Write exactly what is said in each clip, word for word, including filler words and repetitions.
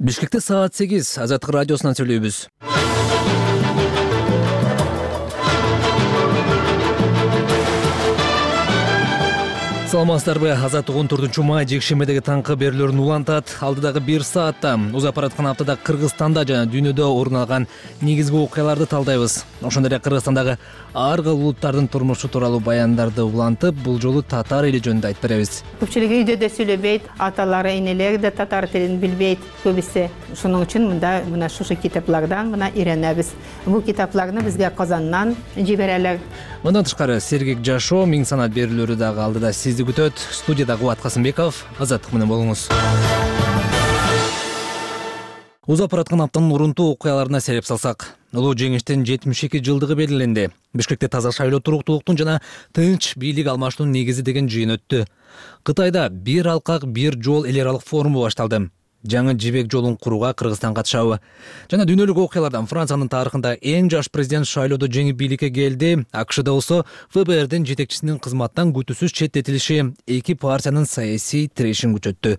Бишкекте саат сегиз Азаттык радиосунан сүйлөйбүз. Саламатсыздарбы? Азаттык он төртүнчү май жекшембидеги таңкы берүүлөрүн улантат. Алдыдагы бир саатта узап бараткан аптада Кыргызстанда жана дүйнөдө орун алган негизги окуяларды талдайбыз. Ошондой эле Кыргызстандагы ар кыл улуттардын турмушу тууралуу баяндарды улантып, бул жолу татар эли жөнүндө айтып беребиз. Көпчүлүгү үйдө да сүйлөбөйт, аталары, энелери да татар тилин билбейт көбүсү. Ошоның үчүн мында мына шушы китаплардан мына үйрөнөбүз. Бул китапларны бизге Казандан жиберелер. Мындан тышкары Сергек Жашоо, Миң санат берүүлөрү дагы алдыда сизди күтөт. Студияда Кубат Касымбеков. Азаттык менен болуңуз. Узап бараткан аптанын урунтуу окуяларына сереп салсак, улуу жеңиштин жетимиш эки жылдыгы белгиленди. Бишкекте таза шайлоо, туруктуулуктун жана тынч бийлик алмашуунун негизи деген жыйын өттү. Кытайда бир алкак, бир жол эл аралык форуму башталды. Жаңы жибек жолун курууга Кыргызстан катышабы? Жана дүйнөлүк окуялардан Франциянын тарыхында эң жаш президент шайлоодо жеңип бийликке келди. АКШда болсо эф бэ эрдин жетекчисинин кызматтан күтүүсүз четтетилиши эки партиянын саясий тирешин күчөттү.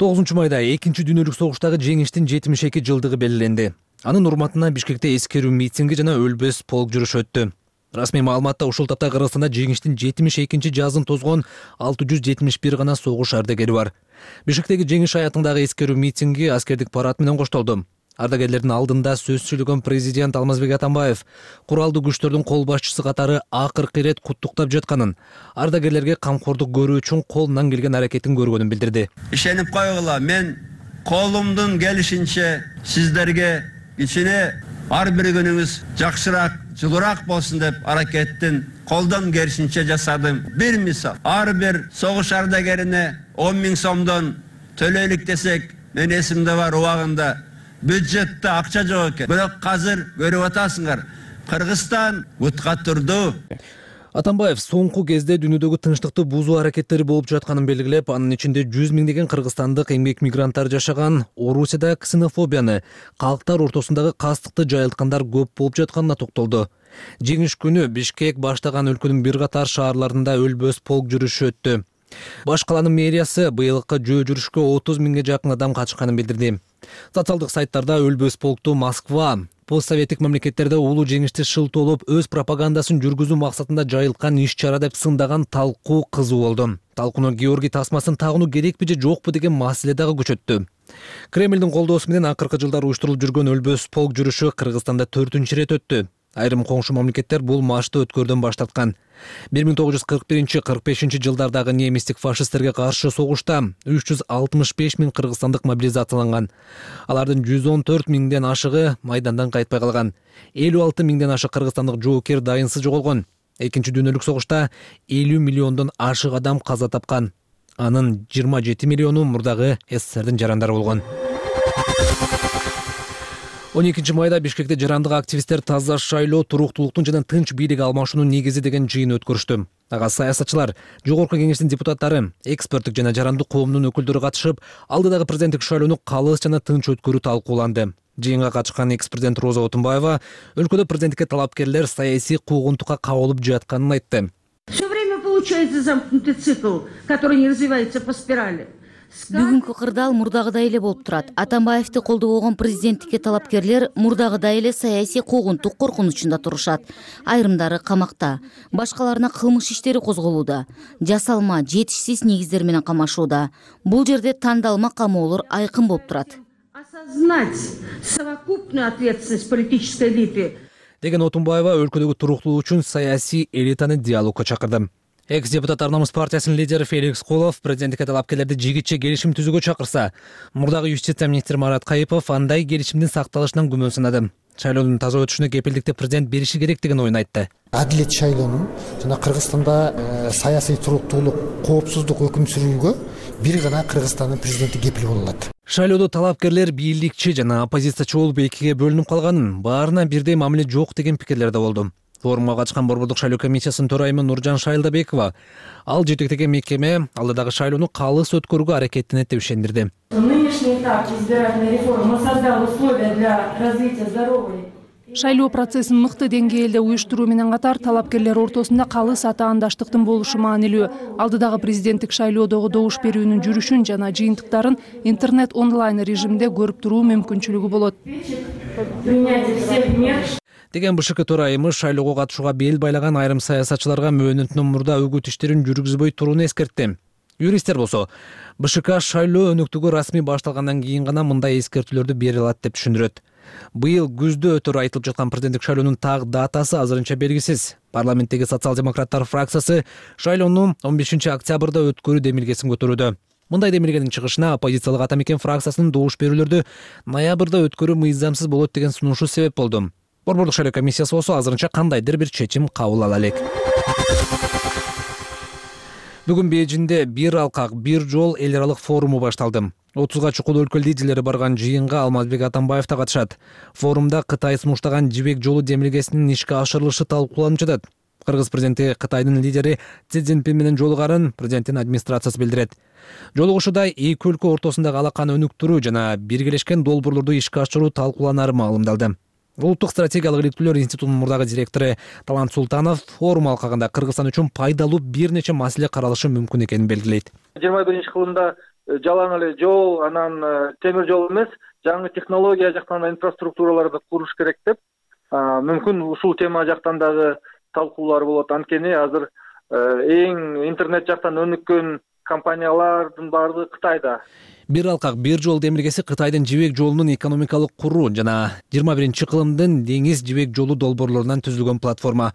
тогузунчу майда экинчи дүйнөлүк согуштагы жеңиштин жетимиш эки жылдыгы белгиленди. Анын урматына Бишкекте эскерүү митинги жана өлбөс полк жүрүшү өттү. Расмий маалыматта ушул тапта Кыргызстанда жеңиштин жетимиш экинчи жазын тозгон алты жүз жетимиш бир гана согуш ардагери бар. Бишкектеги жеңиш аятындагы эскерүү митинги аскердик парад менен коштолду. Ардагерлердин алдында сөз сүйлөгөн президент Алмазбек Атамбаев куралдуу күчтөрдүн кол башчысы катары акыркы ирет куттуктап жатканын, ардагерлерге камкордук көрүү үчүн колунан келген аракетин көргөнүн билдирди. Ишенип койгула, мен колумдун келишинче сиздерге ичине ар бир күнүңүз жакшыраак, жылуураак болсун деп аракеттин колдон келишинче жасадым. Бир мисал, ар бир согуш ардагерине он миң сомдон төлөйлүк десек, мен эсимде бар, убагында бюджетте акча жок экен. Бирок азыр көрүп атасыңар, Кыргызстан бутка турду. Атамбаев соңку кезде дүйнөдөгү тынчтыкты бузуу аракеттери болуп жатканын белгилеп, анын ичинде жүз миңдеген кыргызстандык эмгек мигранттар жашаган Орусияда ксенофобияны, калктар ортосундагы кастыкты жайылткандар көп болуп жатканына токтолду. Жеңиш күнү Бишкек баштаган өлкөнүн бир катар шаарларында өлбөс полк жүрүшү өттү. Баш каланын мэриясы быйылкы жөө жүрүшкө отуз миңге жакын адам катышканын билдирди. Социалдык сайттарда өлбөс полкту Москва, постсоветтик мамлекеттерде улуу жеңишти шылтоолоп өз пропагандасын жүргүзүү максатында жайылткан иш-чара деп сындаган талкуу кызуу болду. Талкууну Георгий тасмасын тагынуу керекпи же жокпу деген маселе дагы көчөттү. Кремлдин колдоосу менен акыркы жылдары уюштурулуп жүргөн өлбөс полк жүрүшү Кыргызстанда төртүнчү ирет өттү. Айрым коңшу мамлекеттер бул машты өткөрдөн баш тарткан. бир миң тогуз жүз кырк биринчи — кырк бешинчи жылдардагы немистик фашисттерге каршы согушта үч жүз алтымыш беш миң кыргызстандык мобилизацияланган. Алардын жүз он төрт миңден ашыгы майдандан кайтпай калган. элүү алты миңден ашык кыргызстандык жоокер дайынсыз жоголгон. Экинчи дүйнөлүк согушта элүү миллиондон ашык адам каза тапкан. Анын жыйырма жети миллиону мурдагы эс эс эрдин жарандары болгон. он экинчи майда Бишкекте жарандык активисттер таза шайлоо, туруктуулуктун жана тынч бийлик алмашуунун негизи деген жыйын өткөрүштү. Ага саясатчылар, жогорку кеңештин депутаттары, эксперттик жана жарандык коомдун өкүлдөрү катышып, алдыдагы президенттик шайлоону калыс жана тынч өткөрүү талкууланды. Жыйынга катышкан экс-президент Роза Отунбаева өлкөдө президенттикке талапкерлер саясий куугунтукка кабылып жатканын айтты. Все время получается замкнутый цикл, который не развивается по спирали. Бүгүнкү кырдаал мурдагыдай эле болуп турат. Атамбаевди колдобогон президенттикке талапкерлер мурдагыдай эле саясий куугунтук коркунучунда турушат. Айрымдары камакта, башкаларына кылмыш иштери козголууда, жасалма, жетишсиз негиздер менен камашууда. Бул жерде тандалма камоолор айкын болуп турат. Осознать совокупную ответственность политической элиты. Деген Отунбаева өлкөдөгү туруктуулук үчүн саясий элитаны диалогко чакырды. Экс-депутат Арнамыз партиясынын лидери Феликс Колов президенттикке талапкерлерди жигитче келишим түзүүгө чакырса, мурдагы юстиция министри Марат Кайыпов андай келишимдин сакталышынан күмөн санады. Шайлоонун таза өтүшүнө кепилдикти президент бериши керек деген оюн айтты. Адилет шайлоонун жана Кыргызстанда э, саясий туруктуулук, коопсуздук өкүм сүрүүгө бир гана Кыргызстандын президенти кепил боло алат. Шайлоодо талапкерлер бийликчи жана оппозициячы болуп экиге бөлүнүп калганын, баарына бирдей мамиле жок деген пикирлер да болду. Форумга катышкан Борбордук шайлоо комиссиясынын төрайымы Нуржан Шайлдабекова ал жетектеген мекеме алдыдагы шайлоону калыс өткөрүүгө аракеттенет деп ишендирди. Нынешний этап избирательной реформы создал условия для развития здоровой. Шайлоо процессин мыкты деңгээлде уюштуруу менен катар талапкерлер ортосунда калыс атаандаштыктын болушу маанилүү. Алдыдагы президенттик шайлоодогу добуш берүүнүн жүрүшүн жана жыйынтыктарын интернет онлайн режимде көрүп туруу мүмкүнчүлүгү болот. Деген БШК төрайымы шайлоого катышууга бел байлаган айрым саясатчыларга мөөнөтүнөн мурда үгүт иштерин жүргүзбөй турууну эскертти. Юристтер болсо БШК шайлоо өнөктүгү расмий башталгандан кийин гана мындай эскертүүлөрдү бере алат деп түшүндүрөт. Быйыл күздө өтөр айтылып жаткан президенттик шайлоонун так датасы азырынча белгисиз. Парламенттеги социал-демократтар фракциясы шайлоону он бешинчи октябрда өткөрүү демилгесин көтөрүүдө. Мындай демилгенин чыгышына оппозициялык Ата Мекен фракциясынын добуш берүүлөрдү ноябрда өткөрүү мыйзамсыз болот деген сунушу себеп болду. Борбордук шайлоо комиссиясы болсо азырынча кандайдыр бир чечим кабыл ала элек. Бүгүн Бейжиңде бир алкак, бир жол эл аралык форуму башталды. отузга чукул өлкө лидерлери барган жыйынга Алмазбек Атамбаев да катышат. Форумда Кытай сунуштаган жибек жолу демилгесинин ишке ашырылышы талкууланып жатат. Кыргыз президенти Кытайдын лидери Си Цзиньпин менен жолугарын президенттин администрациясы билдирет. Жолугушууда эки өлкө ортосундагы алаканы өнүктүрүү жана биргелешкен долбоорлорду ишке ашыруу талкууланары маалымдалды. Улуттук стратегиялык иликтүүлөр институтунун мурдагы директору Талант Султанов форум алкагында Кыргызстан үчүн пайдалуу бир нече маселе каралышы мүмкүн экенин белгилейт. жыйырма биринчи кылымда жалаң эле жол, анан темир жол эмес, жаңы технология жактан инфраструктураларды куруш керек деп, мүмкүн ушул тема жактан дагы талкуулар болот. Анткени азыр эң интернет жактан өнүккөн компаниялардын баардыгы Кытайда. Бир алкак, бир жол демилгеси Кытайдын жибек жолунун экономикалык куруу жана жыйырма биринчи кылымдын деңиз жибек жолу долбоорлорунан түзүлгөн платформа.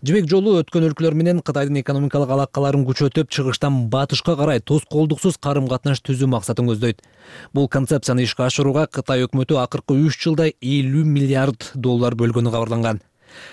Жибек жолу өткөн өлкөлөр менен Кытайдын экономикалык алакаларын күчөтүп, чыгыштан батышка карай тоскоолдуксуз карым-катнаш түзүү максатын көздөйт. Бул концепцияны ишке ашырууга Кытай өкмөтү акыркы үч жылда элүү миллиард доллар бөлгөнү кабарланган.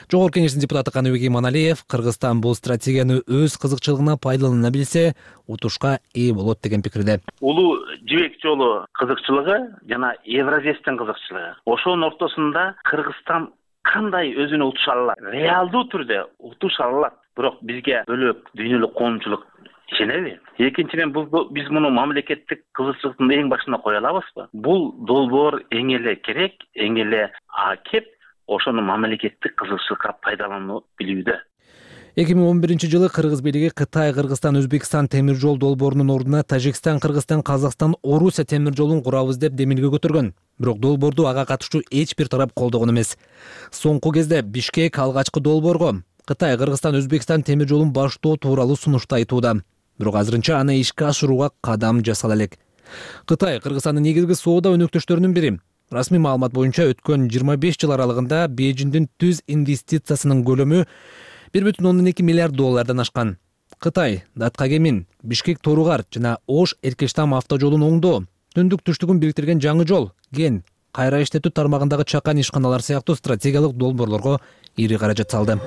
Жогорку Кеңештин депутаты Каныбек Иманалиев Кыргызстан бул стратегияны өз кызыкчылыгына пайдалана билсе, утушка ээ болот деген пикирде. Улуу жибек жолу кызыкчылыгы жана Евразиядын кызыкчылыгы. Ошонун ортосунда Кыргызстан кандай өзүнө утуша алат? Реалдуу түрдө утуша алат. Бирок бизге бөлөк дүйнөлүк коомчулук ишенеби? Экинчиден, биз муну мамлекеттик кызыкчылыктын эң башына кое алабызбы? Бул долбоор эң эле керек, эң эле акеп ошону мамлекеттик кызыкчылыкка пайдаланып билүүдө. эки миң он биринчи жылы Кыргыз бийлиги Кытай, Кыргызстан, Өзбекстан темир жол долбоорунун ордуна Тажикстан, Кыргызстан, Казакстан, Орусия темир жолун курабыз деп демилге көтөргөн. Бирок долбоорду ага катышуу эч бир тарап колдогон эмес. Соңку кезде Бишкек алгачкы долбоорго Кытай, Кыргызстан, Өзбекстан темир жолун баштоо тууралуу сунушту айтууда. Бирок азырынча аны ишке ашырууга кадам жасала элек. Кытай Кыргызстандын негизги соода өнөктөштөрүнүн бири. Расмий маалымат боюнча өткөн жыйырма беш жыл аралыгында Бейжиңдин түз инвестициясынын көлөмү бир бүтүн ондон эки миллиард доллардан ашкан. Кытай Даткагемин, Бишкек Торугар жана Ош Эркештам автожолун оңдоо, түндүк түштүгүн бириктирген жаңы жол, ген, кайра иштетүү тармагындагы чакан ишканалар сыяктуу стратегиялык долбоорлорго ири каражат салды.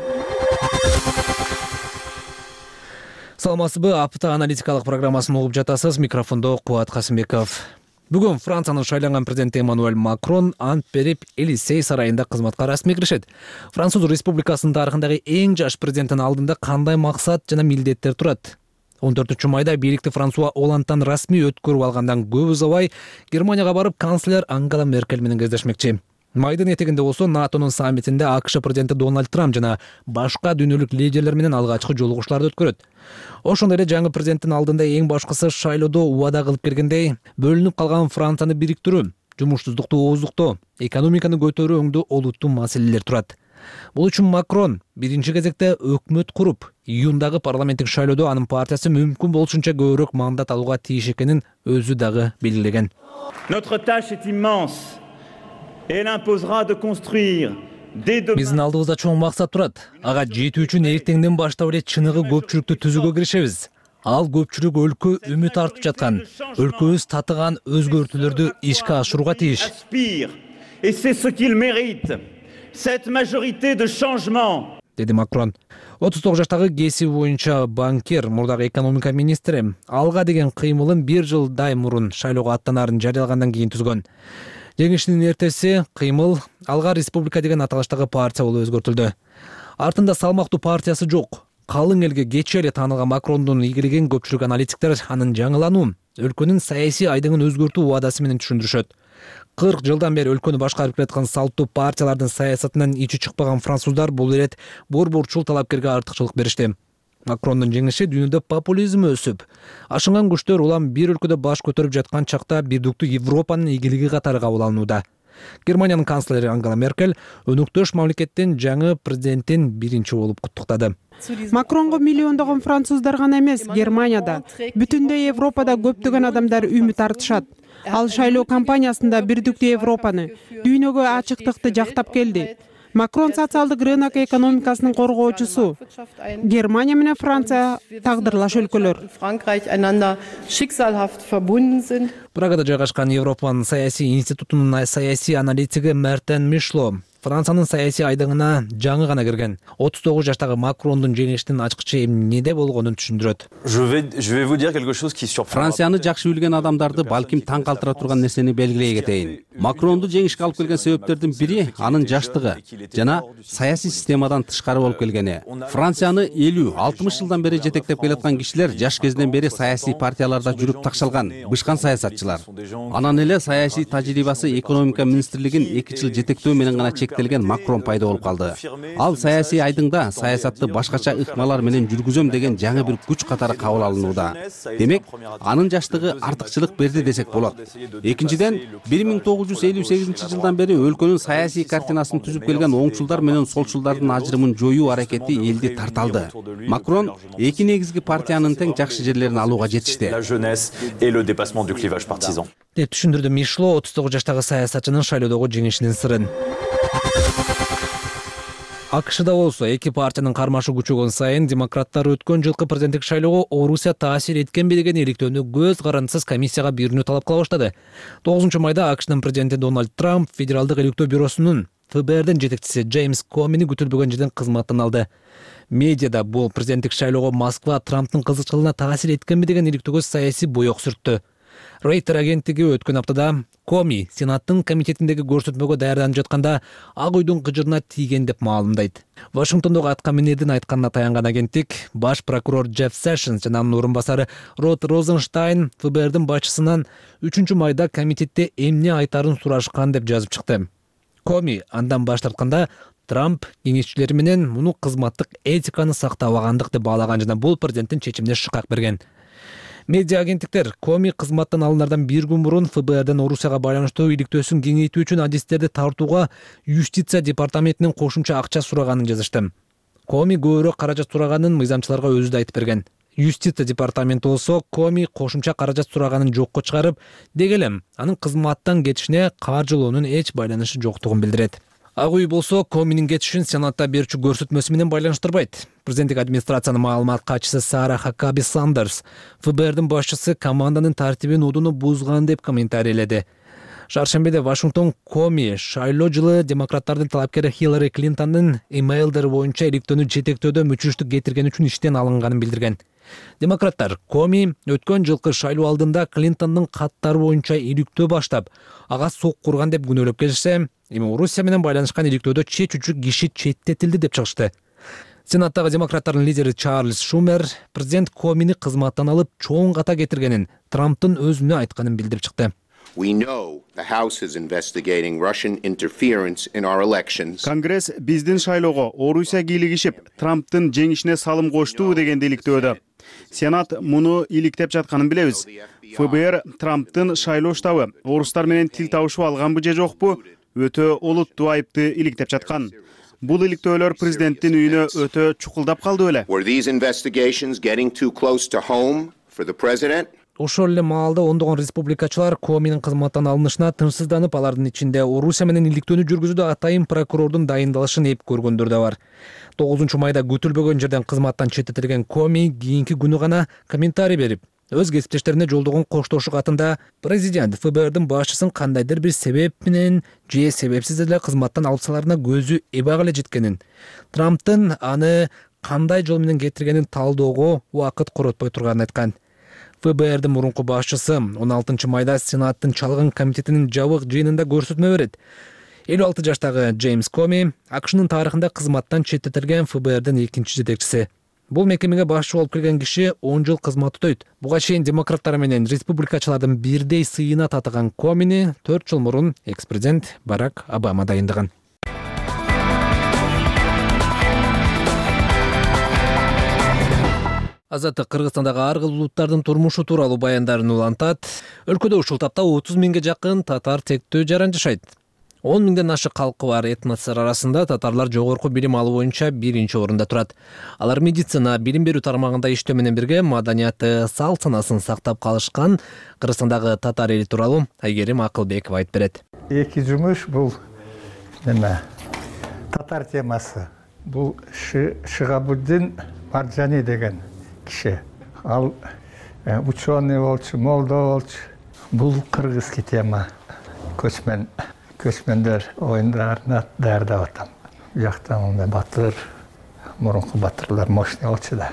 Саламатсызбы, апта аналитикалык программасын угуп жатасыз. Микрофондо Кубат Касымбеков. Бүгүн Франциянын шайланган президенти Эммануэль Макрон ант берип Элисей сарайында кызматка расмий киришет. Француз Республикасынын тарыхындагы эң жаш президенттин алдында кандай максат жана милдеттер турат? он төртүнчү майда бийликти Франсуа Олландтан расмий өткөрүп алгандан көп убай Германияга барып канцлер Ангела Меркель менен кездешмекчи. Майдын этегинде болсо НАТОнун саммитинде АКШ президенти Дональд Трамп жана башка дүйнөлүк лидерлер менен алгачкы жолугушууларды өткөрөт. Ошондой эле жаңы президенттин алдында эң башкысы шайлоодо убада кылып келгендей, бөлүнүп калган Францияны бириктирүү, жумушсуздукту ооздуктоо, экономиканы көтөрүү өңдүү олуттуу маселелер турат. Бул үчүн Макрон биринчи кезекте өкмөт куруп, июндагы парламенттик шайлоодо анын партиясы мүмкүн болушунча көбүрөөк мандат алууга тийиш экенин өзү дагы белгилеген. Notre tâche est immense. Elle imposera de construire Биздин алдыбызда чоң максат турат. Ага жетүү үчүн эртеңден баштап эле чыныгы көпчүлүктү түзүүгө киришебиз. Ал көпчүлүк өлкө үмүт артып жаткан, өлкөбүз татыган өзгөртүүлөрдү ишке ашырууга тийиш. Et c'est ce qu'il mérite. Cette majorité de changement. Деди Макрон. отуз тогуз жаштагы кесиби боюнча банкир, мурдагы экономика министри алга деген кыймылын бир жылдай мурун шайлоого аттанаарын жарыялагандан кийин түзгөн. Жеңишинин эртеси кыймыл Алга Республика деген аталыштагы партия болуп өзгөртүлдү. Артында салмактуу партиясы жок. Калың элге кечээ эле таанылган Макрондун ийгилигин көпчүлүк аналитиктер анын жаңылануу, өлкөнүн саясий айдыңын өзгөртүү убадасы менен түшүндүрүшөт. кырк жылдан бери өлкөнү башкарып келаткан салттуу партиялардын саясатынан ичи чыкпаган француздар бул ирет борборчул талапкерге артыкчылык беришти. Макрондун жеңиши дүйнөдө популизм өсүп, ашынган күчтөр улам бир өлкөдө баш көтөрүп жаткан чакта бирдиктүү Европанын игилиги катары кабыл алынууда. Германиянын канцлери Ангела Меркель өнөктөш мамлекеттин жаңы президентин биринчи болуп куттуктады. Макронго миллиондогон француздар гана эмес, Германияда, бүтүндөй Европада көптөгөн адамдар үмүт артышат. Ал шайлоо кампаниясында бирдиктүү Европаны, дүйнөгө ачыктыкты жактап келди. Макрон социалдык рынок экономикасынын коргоочусу. Германия менен Франция тагдырлаш өлкөлөр. Прагада жайгашкан Европанын саясий институтунун саясий аналитиги Мертен Мишло Франциянын саясий айдыңына жаңы гана кирген отуз тогуз жаштагы Макрондун жеңишинин ачкычы эмнеде болгонун түшүндүрөт. Францияны жакшы билген адамдарды балким таң калтыра турган нерсени белгилей кетейин. Макронду жеңишке алып келген себептердин бири анын жаштыгы жана саясий системадан тышкары болуп келгени. Францияны элүү алтымыш жылдан бери жетектеп келаткан кишилер жаш кезинен бери саясий партияларда жүрүп такшалган, бышкан саясатчылар. Анан эле саясий тажрыйбасы экономика министрлигин эки жыл жетектөө менен гана чектелген Макрон пайда болуп калды. Ал саясий айдыңда саясатты башкача ыкмалар менен жүргүзөм деген жаңы бир күч катары кабыл алынууда. Демек, анын жаштыгы артыкчылык берди десек болот. Экинчиден, бир миң тогуз жүз элүү сегизинчи жылдан бери өлкөнүн саясий картинасын түзүп келген оңчулдар менен солчулдардын ажырымын жоюу аракети элди тарталды. Макрон эки негизги партиянын тең жакшы жерлерин алууга жетишти. деп түшүндүрдү Мишло отуз тогуз жаштагы саясатчынын шайлоодогу жеңишинин сырын. АКШда болсо эки партиянын кармашы күчөгөн сайын демократтар өткөн жылкы президенттик шайлоого Орусия таасир эткенби деген иликтөөнү көз карандысыз комиссияга берүүнү талап кыла баштады. тогузунчу майда АКШнын президенти Дональд Трамп Федералдык электөө бюросунун ФБРдин жетекчиси Джеймс Комини күтүлбөгөн жерден кызматтан алды. Медиада бул президенттик шайлоого Москва Трамптын кызыкчылыгына таасир эткенби деген иликтөөгө саясий боек сүрттү. Рейтер агенттиги өткөн аптада Коми Сенаттын комитетиндеги көрсөтмөгө даярданып жатканда Ак үйдүн кыжырына тийген деп маалымдайт. Вашингтондогу аткаминердин айтканына таянган агенттик баш прокурор Джефф Сэшнс жана анын орун басары Род Розенштайн ФБРдин башчысынан үчүнчү майда комитетте эмне айтарын сурашкан деп жазып чыкты. Коми андан баш тартканда Трамп кеңешчилери менен муну кызматтык этиканы сактабагандык деп баалаган жана бул президенттин чечимине шыкак берген. Медиа агенттиктер Коми кызматтан алынардан бир күн мурун ФБРден Орусияга байланыштуу иликтөөсүн кеңейтүү үчүн адистерди тартууга юстиция департаментинин кошумча акча сураганын жазышты. Коми көбүрөөк каражат сураганын мыйзамчыларга өзү да айтып берген. Юстиция департаменти болсо Коми кошумча каражат сураганын жокко чыгарып, деги эле анын кызматтан кетишине каржылоонун эч байланышы жоктугун билдирет. Ак үй болсо Коминин кетишин Сенатта берүүчү көрсөтмөсү менен байланыштырбайт. Президенттик администрациянын маалымат катчысы Сара Хакаби Сандерс ФБРдин башчысы команданын тартибин удуну бузган деп комментарийледи. Шаршембиде Вашингтон Коми шайлоо жылы демократтардын талапкери Хиллари Клинтондун имейлдери боюнча иликтөөнү жетектөөдө мүчүлүштүк кетирген үчүн иштен алынганын билдирген. Демократтар Коми өткөн жылкы шайлоо алдында Клинтондун каттары боюнча иликтөө баштап, ага сок курган деп күнөөлөп келишсе, эми Орусия менен байланышкан иликтөөдө чечүүчү киши четтетилди деп чыгышты. Сенаттагы демократтардын лидери Чарльз Шумер президент Комини кызматтан алып чоң ката кетиргенин Трамптын өзүнө айтканын билдирип чыкты. Конгресс биздин шайлоого Орусия кийлигишип, Трамптын жеңишине салым кошту дегенди иликтөөдө. Сенат муну иликтеп жатканын билебиз. ФБР Трамптын шайлоо штабы орустар менен тил табышып алганбы же жокпу өтө олуттуу айыпты иликтеп жаткан. Бул иликтөөлөр президенттин үйүнө өтө чукулдап калды беле. Ошол эле маалда ондогон республикачылар Коминин кызматтан алынышына тынчсызданып, алардын ичинде Орусия менен иликтөөнү жүргүзүүдө атайын прокурордун дайындалышын эп көргөндөр да бар. тогузунчу майда күтүлбөгөн жерден кызматтан четтетилген Коми кийинки күнү гана комментарий берип, өз кесиптештерине жолдогон коштошуу катында президент ФБРдин башчысын кандайдыр бир себеп менен же себепсиз эле кызматтан алып саларына көзү эбак эле жеткенин, Трамптын аны кандай жол менен кетиргенин талдоого убакыт коротпой турганын айткан. ФБРдин мурунку башчысы он алтынчы майда Сенаттын чалгын комитетинин жабык жыйынында көрсөтмө берет. элүү алты жаштагы Джеймс Коми АКШнын тарыхында кызматтан четтетилген ФБРдин экинчи жетекчиси. Бул мекемеге башчы болуп келген киши он жыл кызмат өтөйт. Буга чейин демократтар менен республикачылардын бирдей сыйына татыган Комини төрт жыл мурун экс-президент Барак Обама дайындаган. Азаттык Кыргызстандагы ар кыл улуттардын турмушу тууралуу баяндарын улантат. Өлкөдө ушул тапта отуз миңге жакын татар тектүү жаран жашайт. он миңден ашык калкы бар этностор арасында татарлар жогорку билим алуу боюнча биринчи орунда турат. Алар медицина, билим берүү тармагында иштөө менен бирге маданияты, салт санасын сактап калышкан Кыргызстандагы татар эли тууралуу Айгерим Акылбекова айтып берет. Эки жумуш бул неме татар темасы. Бул Шыгабуддин Маржани деген киши. Ал ученый болчу, молдо болчу. Бул кыргызский тема. Көчмөн көчмөндөр оюндарына даярдап атам. Бияктан мындай батыр, мурунку батырлар мощный болчу да.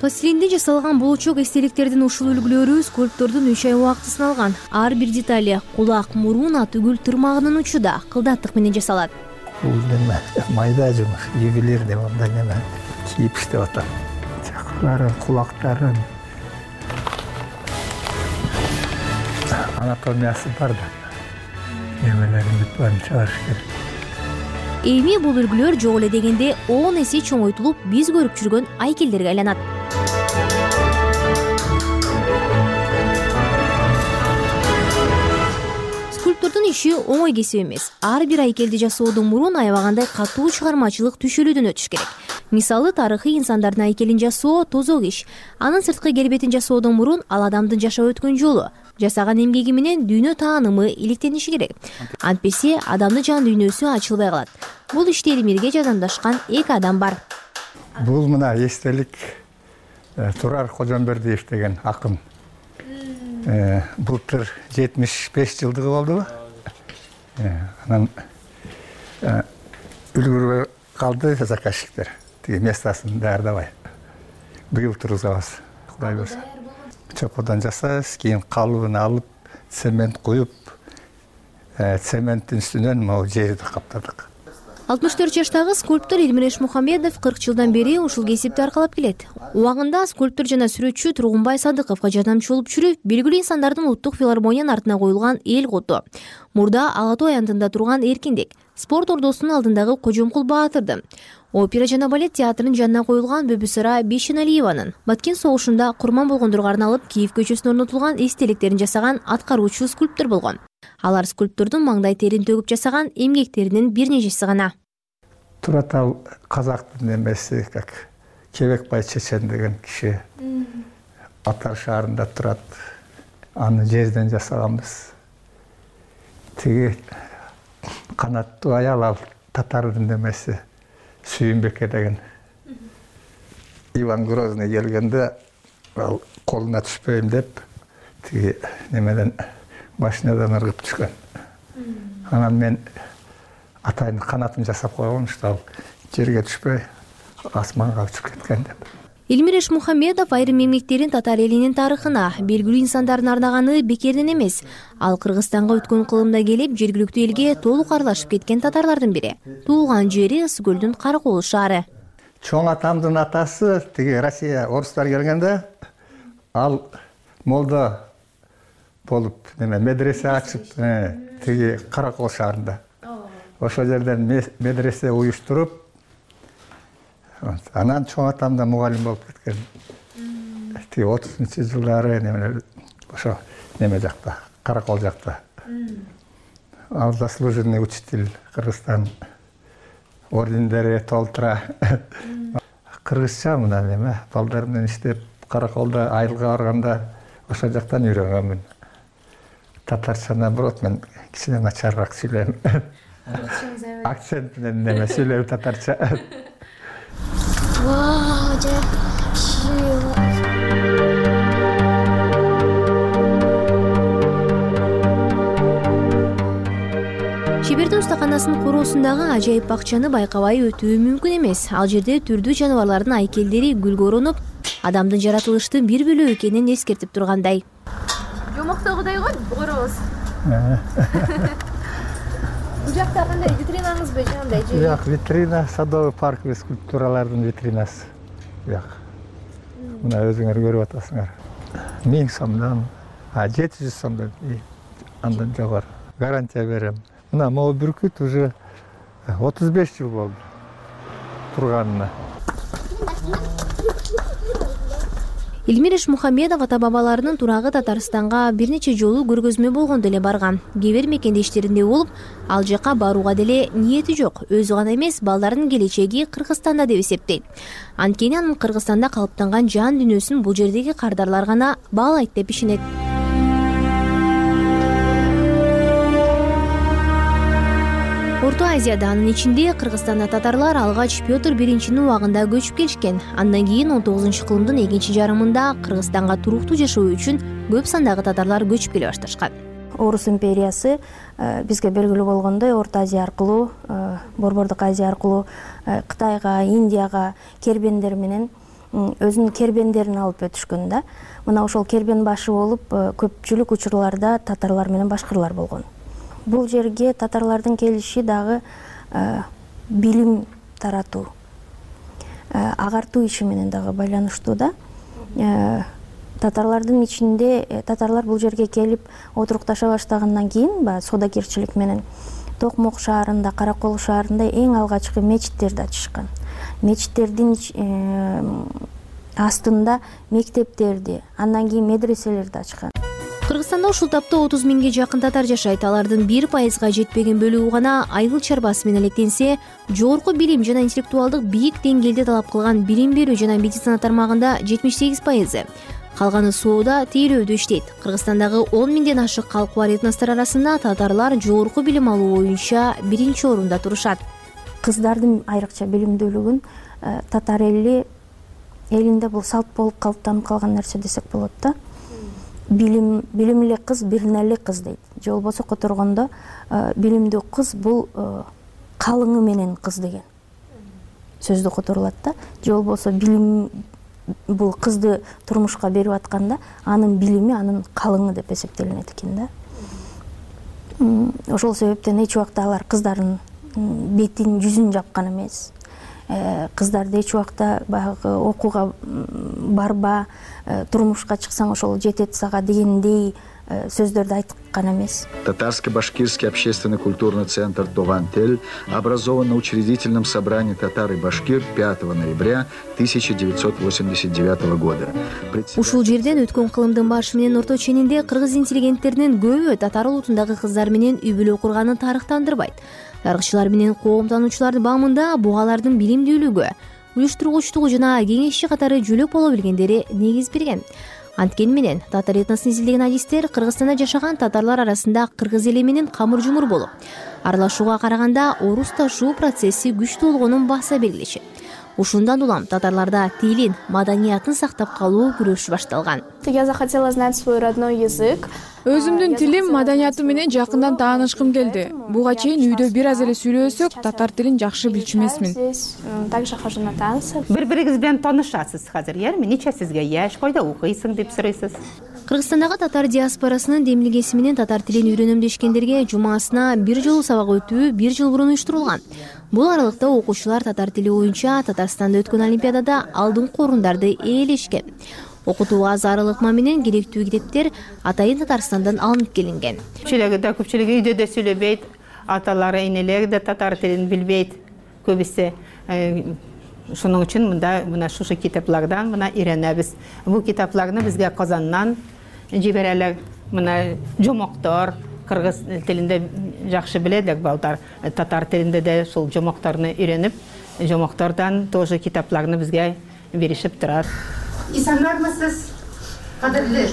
Пластилинде жасалган болочок эстеликтердин ушул үлгүлөрү скульптордун үч ай убактысын алган. Ар бир детали кулак, мурун, атүгүл тырмагынын учуда кылдаттык менен жасалат. Бул неме майда жумуш, ювелирный мындай неме кийип иштеп атам. Чакырларын, кулактарын анатомиясы бар да. Немелерин бүт баарын чыгарыш керек. Эми бул үлгүлөр жок эле дегенде он эсе чоңойтулуп, биз көрүп жүргөн айкелдерге айланат. Скульптордун иши оңой кесип эмес. Ар бир айкелди жасоодон мурун аябагандай катуу чыгармачылык түшүлүүдөн өтүш керек. Мисалы, тарыхый инсандардын айкелин жасоо тозок иш. Анын сырткы келбетин жасоодон мурун ал адамдын жашап өткөн жолу, жасаган эмгеги менен дүйнө таанымы иликтениши керек. Антпесе адамдын жан дүйнөсү ачылбай калат. Бул иште Элмирге жардамдашкан эки адам бар. Бул мына эстелик Турар Кожомбердиев деген акын. Былтыр жетимиш беш жылдыгы болдубу? Анан үлгүрбөй калды заказчиктер. Тиги местасын даярдабай. Быйыл тургузабыз, Кудай буйрса. Чокодон жасайбыз, кийин калыбын алып, цемент куюп, цементтин үстүнөн могу жерди каптадык. алтымыш төрт жаштагы скульптор Элмир Мухамедов кырк жылдан бери ушул кесипти аркалап келет. Убагында скульптор жана сүрөтчү Тургунбай Садыковго жардамчы болуп жүрүп, белгилүү инсандардын улуттук филармониянын артына коюлган эл куту. Мурда Ала Тоо аянтында турган эркиндик, спорт ордосунун алдындагы Кожомкул Баатырдын, опера жана балет театрынын жанына коюлган Бөбүсара Бейшеналиеванын, Баткен согушунда курман болгондорго арналып Киев көчөсүнө орнотулган эстеликтерин жасаган аткаруучу скульптор болгон. Алар скульптордун маңдай терин төгүп жасаган эмгектеринин бир нечеси гана. Турат ал казактын эмеси, как Кебекбай Чечен деген киши. Атар шаарында турат. Аны жерден жасаганбыз. Тиги канаттуу аял ал татардын эмеси Сүйүнбеке деген. Иван Грозный келгенде ал колуна түшпөйм деп тиги немеден машинадан ыргып түшкөн. Анан мен атайын канатын жасап койгон, что ал жерге түшпөй асманга учуп кеткен деп. Элмир Мухамедов айрым эмгектерин татар элинин тарыхына, белгилүү инсандардын арнаганы бекерден эмес. Ал Кыргызстанга өткөн кылымда келип, жергиликтүү элге толук аралашып кеткен татарлардын бири. Туулган жери Ысыкөлдүн Каракол шаары. Чоң атамдын атасы тиги Россия орустар келгенде ал молдо болуп, неме медресе ачып, тиги Каракол шаарында. Ошол жерден медресе уюштуруп, анан чоң атамда мугалим болуп кеткен. Тиги отузунчу жылдары неме ошо неме жакта, Каракол жакта. Ал заслуженный учитель Кыргызстан ордендери толтура. Кыргызча мына неме балдар менен иштеп, Караколдо айылга барганда ошол жактан үйрөнгөнмүн. Татарча наоборот мен кичине начарыраак сүйлөйм. Акцент менен неме сүйлөйм татарча. Вау, Чебердин устаканасынын короосундагы ажайып бакчаны байкабай өтүү мүмкүн эмес. Ал жерде түрдүү жаныбарлардын айкелдери гүлгө оронуп, адамдын жаратылыштын бир бөлүгү экенин эскертип тургандай. Жомоктогудай го, коробуз. Бул жакта кандай витринаңызбы же андай же? Жок, витрина, садовый парк скульптуралардын витринасы. Жок. Мына өзүңөр көрүп атасыңар. миң сомдон, а жети жүз сомдон андан жогору. Гарантия берем. Мына могу бүркүт уже отуз беш жыл болду турганына. Элмира Ишмухамедов ата бабаларынын турагы Татарстанга бир нече жолу көргөзмө болгондо эле барган. Кээ бир мекендештеринде болуп, ал жака барууга деле ниети жок. Өзү гана эмес, балдардын келечеги Кыргызстанда деп эсептейт. Анткени анын Кыргызстанда калыптанган жан дүйнөсүн бул жердеги кардарлар гана баалайт деп ишенет. Орто Азияда, анын ичинде Кыргызстанда татарлар алгач Петр биринчинин убагында көчүп келишкен. Андан кийин он тогузунчу кылымдын экинчи жарымында Кыргызстанга туруктуу жашоо үчүн көп сандагы татарлар көчүп келе башташкан. Орус империясы бизге белгилүү болгондой Орто Азия аркылуу, Борбордук Азия аркылуу Кытайга, Индияга кербендер менен өзүнүн кербендерин алып өтүшкөн да. Мына ошол кербен башы болуп көпчүлүк учурларда татарлар менен башкырлар болгон. Бул жерге татарлардын келиши дагы билим таратуу, агартуу иши менен дагы байланыштуу да. Татарлардын ичинде татарлар бул жерге келип отурукташа баштагандан кийин баягы соодагерчилик менен Токмок шаарында, Каракол шаарында эң алгачкы мечиттерди ачышкан. Мечиттердин астында мектептерди, андан кийин медреселерди ачкан. Кыргызстанда ушул тапта отуз миңге жакын татар жашайт. Алардын бир пайызга жетпеген бөлүгү гана айыл чарбасы менен электенсе, жогорку билим жана интеллектуалдык бийик деңгээлде талап кылган билим берүү жана медицина тармагында жетимиш сегиз пайызы. Калганы соода, тейлөөдө иштейт. Кыргызстандагы он миңден ашык калкы бар этностор арасында татарлар жогорку билим алуу боюнча биринчи орунда турушат. Кыздардын айрыкча билимдүүлүгүн татар эли элинде бул салт болуп калыптанып калган нерсе десек болот да. Билим билимли кыз бирнели кыз дейт. Же болбосо которгондо билимдүү кыз бул калыңы менен кыз деген сөздү которулат да. Же болбосо билим бул кызды турмушка берип атканда анын билими анын калыңы деп эсептелинет экен да. Ошол себептен эч убакта алар кыздардын бетин, жүзүн жапкан эмес. Кыздарды эч убакта баягы окууга барба, турмушка чыксаң ошол жетет сага дегендей сөздөрдү айткан эмес. Татарско-башкирский общественно-культурный центр «Товантель» образован на учредительном собрании татар и башкир пятого ноября тысяча девятьсот восемьдесят девятого года. Ушул жерден өткөн кылымдын башы менен орто ченинде кыргыз интеллигенттеринин көбү татар улутундагы кыздар менен үй бүлө курганын тарыхтандырбайт. Тарыхчылар менен коом таануучулардын баамында бугалардын билимдүүлүгү, уюштургучтугу жана кеңешчи катары жөлөк боло билгендери негиз берген. Анткени менен татар этносун изилдеген адистер Кыргызстанда жашаган татарлар арасында кыргыз эли менен камыр жумур болуп, аралашууга караганда орус ташуу процесси күчтүү болгонун баса белгилешет. Ушундан улам татарларда тилин, маданиятын сактап калуу күрөшү башталган. Я захотела знать свой родной язык. Өзүмдүн тилим, маданиятым менен жакындан таанышкым келди. Буга чейин үйдө бир аз эле сүйлөсөк, татар тилин жакшы билчү эмесмин. Также хожу на танцы. Бири-бириңиз менен таанышасыз азыр, эми нече сизге яш, койдо окуйсуң деп сурайсыз. Кыргызстандагы татар диаспорасынын демилгеси менен татар тилин үйрөнөм дешкендерге жумасына бир жолу сабак өтүү бир жыл мурун уюштурулган. Бул аралыкта окуучулар татар тили боюнча Татарстанда өткөн олимпиадада алдыңкы орундарды ээлешкен. Окутууга зар ыкма менен керектүү китептер атайын Татарстандан алынып келинген. Көпчүлүгү да көпчүлүгү үйдө да сүйлөбөйт, аталары, энелери да татар тилин билбейт көбүсү. Шуның үчүн мында мына шушы китаплардан мына үйрөнөбүз. Бул китапларны бизге Казаннан жиберелер. Мына жомоктор, кыргыз тилинде жакшы биледик балдар. Татар тилинде да шул жомокторду үйрөнүп, жомоктордон тоже китапларны бизге беришип турат. Исанармысыз, кадырлы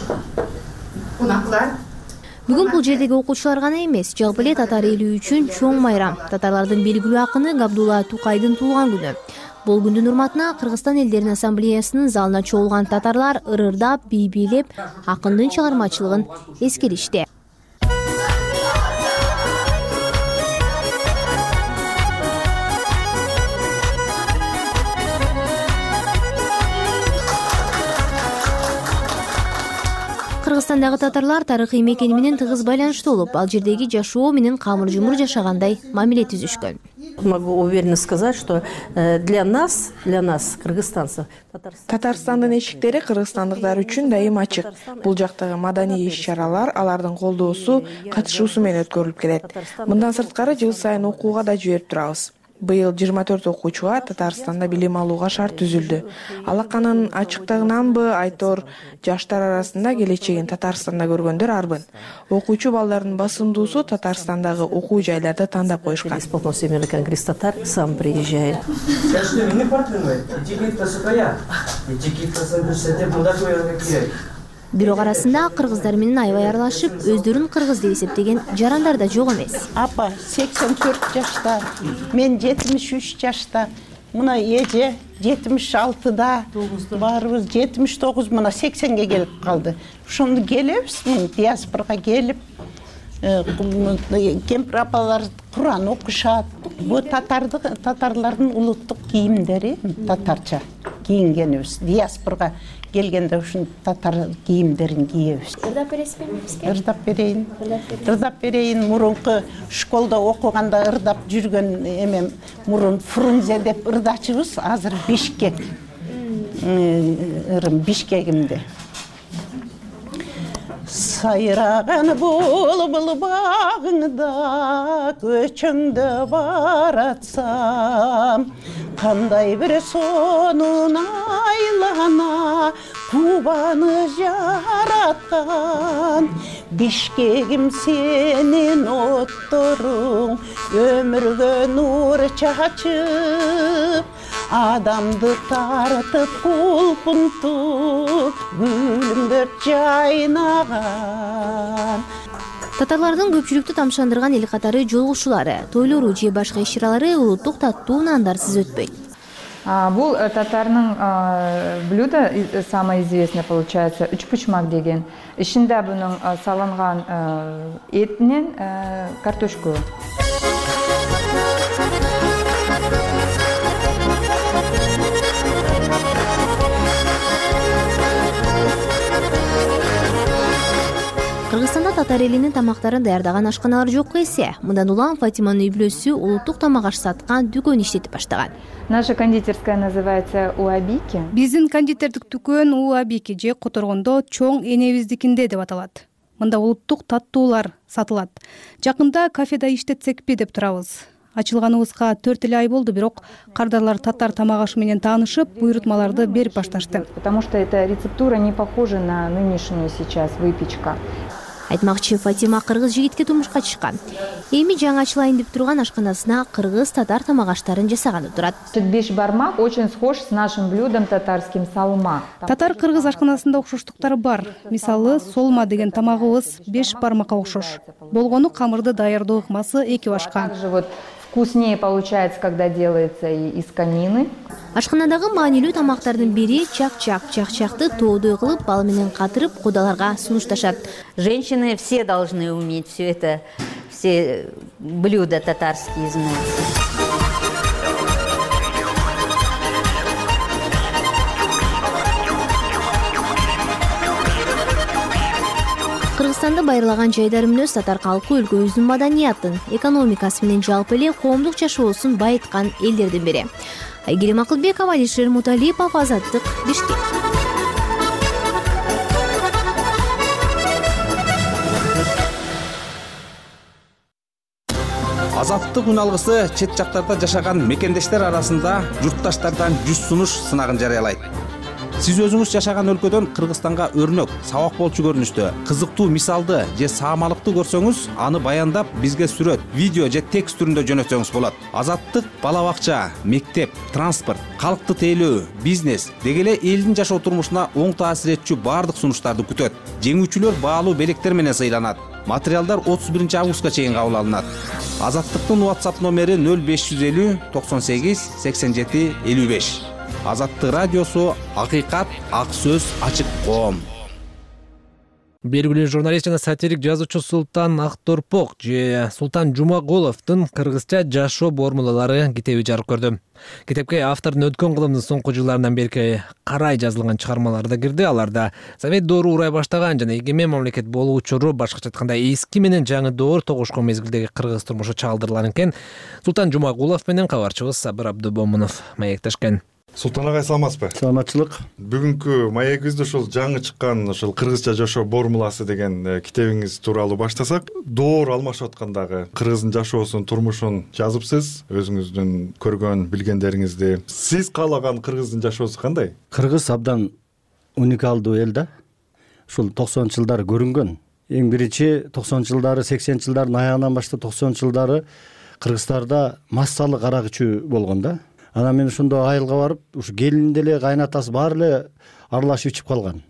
кунаклар? Бүгүн бул жердеги окуучулар гана эмес, жалпы эле татар эли үчүн чоң майрам. Татарлардын белгилүү акыны Габдулла Тукайдын туулган күнү. Бул күндүн урматына Кыргызстан элдеринин ассамблеясынын залына чогулган татарлар ырырдап, бий бийлеп, акындын чыгармачылыгын эскеришти. Кыргызстандагы татарлар тарыхый мекени менен тыгыз байланыштуу болуп, ал жердеги жашоо менен камыр жумур жашагандай мамиле түзүшкөн. Могу уверенно сказать, что для нас, для нас, кыргызстанцев, Татарстандын эшиктери кыргызстандыктар үчүн дайым ачык. Бул жактагы маданий иш-чаралар алардын колдоосу, катышуусу менен өткөрүлүп келет. Мындан сырткары жыл сайын окууга да жиберип турабыз. Быйыл жыйырма төрт окуучуга Татарстанда билим алууга шарт түзүлдү. Алаканын ачыктыгынанбы, айтор жаштар арасында келечегин Татарстанда көргөндөр арбын. Окуучу балдардын басымдуусу Татарстандагы окуу жайларды тандап койушкан. Конгресс татар сам приезжает. Бирок арасында кыргыздар менен аябай аралашып, өздөрүн кыргыз деп эсептеген жарандар да жок эмес. Апа сексен төрт жашта, мен жетимиш үч жашта, мына эже жетимиш алтыда, баарыбыз жетимиш тогуз, мына сексенге келип калды. Ошондо келебиз, диаспорага келип, кемпир апалар Куран окушат. Бу татарды татарлардын улуттук кийимдери, татарча кийингенибиз. Диаспорага келгенде ушун татар кийимдерин кийебиз. Ырдап бересизби бизге? Ырдап берейин. Ырдап берейин. Мурунку школда окуганда ырдап жүргөн эмем мурун Фрунзе деп ырдачыбыз, азыр Бишкек. Ырым Бишкегимде. Сайраган булбул багыңда көчөңдө баратсам, кандай бир сонун айлана Кубаны жараткан. Бишкегим сенин отторуң өмүргө нур чачып, адамды тартып кулпунтуп гүлүмдөр жайнаган. Татарлардын көпчүлүктү тамшандырган эл катары жолугушуулары, тойлору же башка иш-чаралары улуттук таттуу нандарсыз өтпөйт. Бул татарның блюдо самое известное получается үчпучмак деген. Ичинде бунун салынган этинен картошку. Кыргызстанда татар элинин тамактарын даярдаган ашканалар жокко эсе. Мындан улам Фатиманын үй бүлөсү улуттук тамак аш саткан дүкөн иштетип баштаган. Наша кондитерская называется Уабики. Биздин кондитердик дүкөн Уабики же которгондо чоң энебиздикинде деп аталат. Мында улуттук таттуулар сатылат. Жакында кафеде иштетсекпи деп турабыз. Ачылганыбызга төрт эле ай болду, бирок кардарлар татар тамак ашы менен таанышып, буйрутмаларды берип башташты. Потому что эта рецептура не похожа на нынешнюю сейчас выпечка. Айтмакчы, Фатима кыргыз жигитке турмушка чыккан. Эми жаңы ачылайын деп турган ашканасына кыргыз татар тамак аштарын жасаганы турат. Беш бармак очень схож с нашим блюдом татарским салма. Татар кыргыз ашканасында окшоштуктары бар. Мисалы, солма деген тамагыбыз беш бармакка окшош. Болгону камырды даярдоо ыкмасы эки башка. Вкуснее получается, когда делается из конины. Ашканадагы маанилүү тамактардын бири чак-чак. Чак-чакты тоодой кылып, бал менен катырып, кудаларга сунушташат. Женщины все должны уметь все это, все блюда татарские знать. Кыргызстанды байырлаган жайдары мүнөз татар калкы өлкөбүздүн маданиятын, экономикасы менен жалпы эле коомдук жашоосун байыткан элдердин бири. Айгерим Акылбекова, Алишер Муталипов, Азаттык, Бишкек. Азаттык күн алгысы чет жактарда жашаган мекендештер арасында журтташтардан жүз сунуш сынагын жарыялайт. Сиз өзүңүз жашаган өлкөдөн Кыргызстанга өрнөк, сабак болчу көрүнүштө, кызыктуу мисалды же саамалыкты көрсөңүз, аны баяндап бизге сүрөт, видео же текст түрүндө жөнөтсөңүз болот. Азаттык бала бакча, мектеп, транспорт, калкты тейлөө, бизнес деги эле элдин жашоо турмушуна оң таасир этчү баардык сунуштарды күтөт. Жеңүүчүлөр баалуу белектер менен сыйланат. Материалдар отуз биринчи августка чейин кабыл алынат. Азаттыктын WhatsApp номери нөл беш жүз элүү токсон сегиз сексен жети элүү беш. Азаттык радиосу, акыйкат, ак сөз, ачык коом. Белгилүү журналист жана сатирик жазуучу Султан Акторпок же Султан Жумагуловдун кыргызча жашоо формулалары китеби жарык көрдү. Китепке автордун өткөн кылымдын соңку жылдарынан бери карай жазылган чыгармалары да кирди. Аларда Совет доору урай баштаган жана эгемен мамлекет болуу учуру, башкача айтканда эски менен жаңы доор тогушкон мезгилдеги кыргыз турмушу чагылдырылган экен. Султан Жумагулов менен кабарчыбыз Сабыр Абдубомунов маектешкен. Султан агай, саламатсызбы? Саламатчылык. Бүгүнкү маегибизди ушул жаңы чыккан ушул кыргызча жашоо формуласы деген китебиңиз тууралуу баштасак. Доор алмашып аткандагы кыргыздын жашоосун, турмушун жазыпсыз, өзүңүздүн көргөн билгендериңизди. Сиз каалаган кыргыздын жашоосу кандай? Кыргыз абдан уникалдуу эл да. Ушул токсонунчу жылдары көрүнгөн. Эң биринчи токсонунчу жылдары, сексенинчи жылдардын аягынан баштап токсонунчу жылдары Кыргызстарда массалык арак ичүү болгон да. Анан мен ошондо айылга барып, ушу келин деле, кайнатасы баары эле аралашып ичип калган.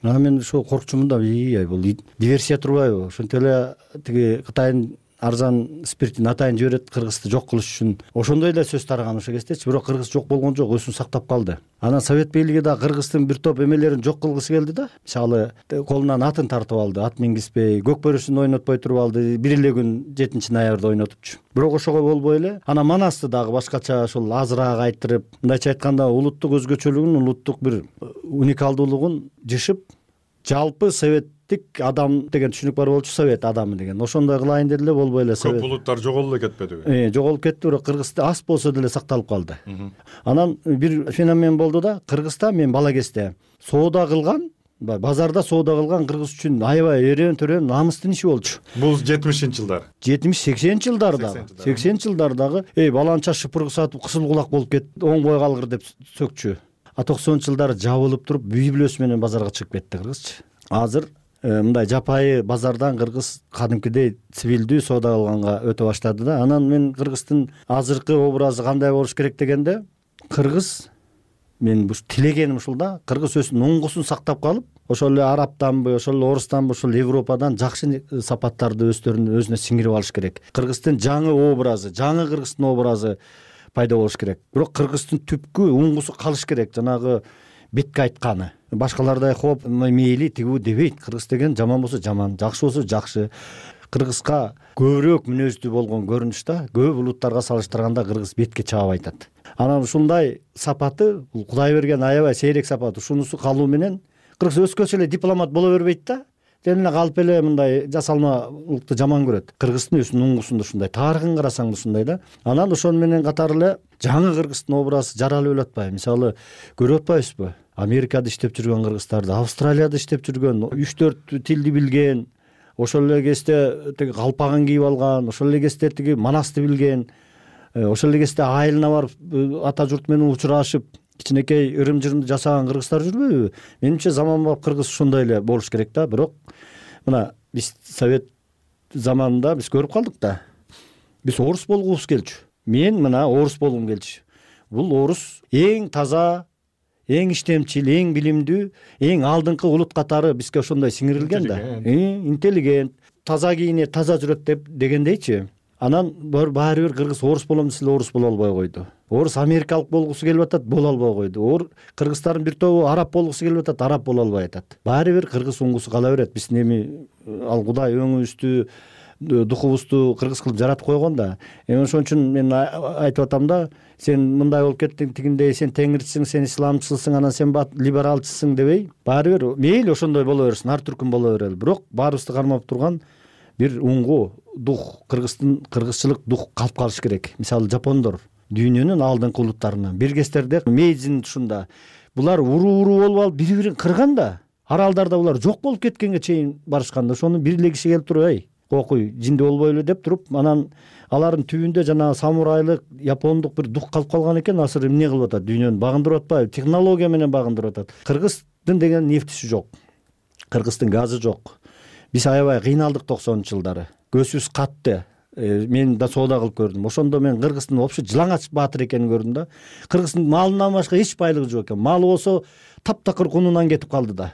Анан мен ошо коркчумун да, ий, бул диверсия турбайбы? Ошентип эле тиги Кытайдын арзан спиртин атайын жиберет Кыргызды жок кылыш үчүн. Ошондой эле сөз тараган ошо кездечи, бирок Кыргыз жок болгон жок, өзүн сактап калды. Анан Совет бийлиги да Кыргыздын бир топ эмелерин жок кылгысы келди да. Мисалы, колунан атын тартып алды, ат мингизбей, көк бөрүсүн ойнотпой туруп алды, бир эле күн жетинчи ноябрда ойнотупчу. Бирок ошого болбой эле, анан Манасты дагы башкача ошол азыраак айттырып, мындайча айтканда улуттук өзгөчөлүгүн, улуттук бир уникалдуулугун жышып, жалпы советтик адам деген түшүнүк бар болчу, совет адамы деген. Ошондой кылайын деди эле, болбой эле. Көп улуттар жоголуп эле кетпедиби? Э, жоголуп кетти, бирок Кыргызда аз болсо деле сакталып калды. Анан бир феномен болду да, Кыргызда мен бала кезде соода кылган, базарда соода кылган кыргыз үчүн аябай эрен төрөн намыстын иши болчу. Бул жетимишинчи жылдар. жетимиш сексенинчи жылдардагы. сексенинчи жылдардагы эй баланча шыпыргы сатып кысыл кулак болуп кетти, оңбой калгыр деп сөкчү. А токсонунчу жылдары жабылып туруп, үй бүлөсү менен базарга чыгып кетти кыргызчы. Азыр мындай жапайы базардан кыргыз кадимкидей цивилдүү соода кылганга өтө баштады да. Анан мен кыргыздын азыркы образы кандай болуш керек дегенде, кыргыз мен тилегеним ушул да, кыргыз өзүнүн оңгусун сактап калып, ошол эле арабтанбы, ошол эле орустанбы, ошол Европадан жакшы сапаттарды өздөрүнүн өзүнө сиңирип алыш керек. Кыргыздын жаңы образы, жаңы кыргыздын образы пайда болуш керек. Бирок кыргыздын түпкү оңгусу калыш керек, жанагы бетке айтканы. Башкалардай хоп, мейли тигүү дебейт. Кыргыз деген жаман болсо жаман, жакшы болсо жакшы. Кыргызга көбүрөөк мүнөздүү болгон көрүнүш да, көп улуттарга салыштырганда кыргыз бетке чаап айтат. Анан ушундай сапаты, бул Кудай берген аябай сейрек сапат. Ушунусу калуу менен кыргыз өскөчө эле дипломат боло бербейт да. Жөн эле калып эле мындай жасалмалыкты жаман көрөт. Кыргыздын өзүнүн оңгусунда ушундай, тарыхын карасаң ушундай да. Анан ошону менен катары эле жаңы кыргыздын образы жаралып эле атпайбы? Мисалы, көрүп атпайбызбы? Америкада иштеп жүргөн кыргыздарды, Австралияда иштеп жүргөн, үч төрт тилди билген, ошол эле кезде тиги калпагын кийип алган, ошол эле кезде тиги Манасты билген, ошол эле кезде айылына барып ата журт менен учурашып, кичинекей ырым-жырымды жасаган кыргыздар жүрбөйбү? Менимче заманбап кыргыз ушундай эле болуш керек да. Бирок мына биз Совет заманында биз көрүп калдык да. Биз орус болгубуз келчү. Мен мына орус болгум келчү. Бул орус эң таза, эң иштемчил, эң билимдүү, эң алдыңкы улут катары бизге ошондой сиңирилген да. Интеллигент, таза кийинет, таза жүрөт деп дегендейчи. Анан баары бир кыргыз орус болом десе орус боло албай койду. Орус америкалык болгусу келип атат, боло албай койду. Ор кыргыздардын бир тобу араб болгусу келип атат, араб боло албай атат. Баары бир кыргыз оңгусу кала берет. Биздин эми ал Кудай өңүбүздү, духубузду кыргыз кылып жаратып койгон да. Эми ошон үчүн мен айтып атам да, сен мындай болуп кеттиң, тигиндей сен теңирчисиң, сен исламчысың, анан сен либералчысың дебей, баары бир мейли ошондой боло берсин, ар түркүн боло берели. Бирок баарыбызды кармап турган бир уңгу, дух, кыргыздын кыргызчылык дух калып калыш керек. Мисалы жапондор дүйнөнүн алдыңкы улуттарынан биргестерде Мейдзин тушунда булар уруу-уруу болуп алып бири-бирин кырган да. Аралдарда булар жок болуп кеткенге чейин барышканда, ошону бир эле киши келип туруп, эй, кокуй, жинди болбойлу деп туруп, анан алардын түбүндө жана самурайлык, япондук бир дух калып калган экен. Азыр эмне кылып атат? Дүйнөнү багындырып атпайбы? Технология менен багындырып атат. Кыргыздын деген нефтиси жок. Кыргыздын газы жок. Биз аябай кыйналдык токсонунчу жылдары. Көзүбүз катты. Мен да соода кылып көрдүм. Ошондо мен кыргыздын вообще жылаңач баатыр экенин көрдүм да. Кыргыздын малынан башка эч байлыгы жок экен. Малы болсо таптакыр кунунан кетип калды да.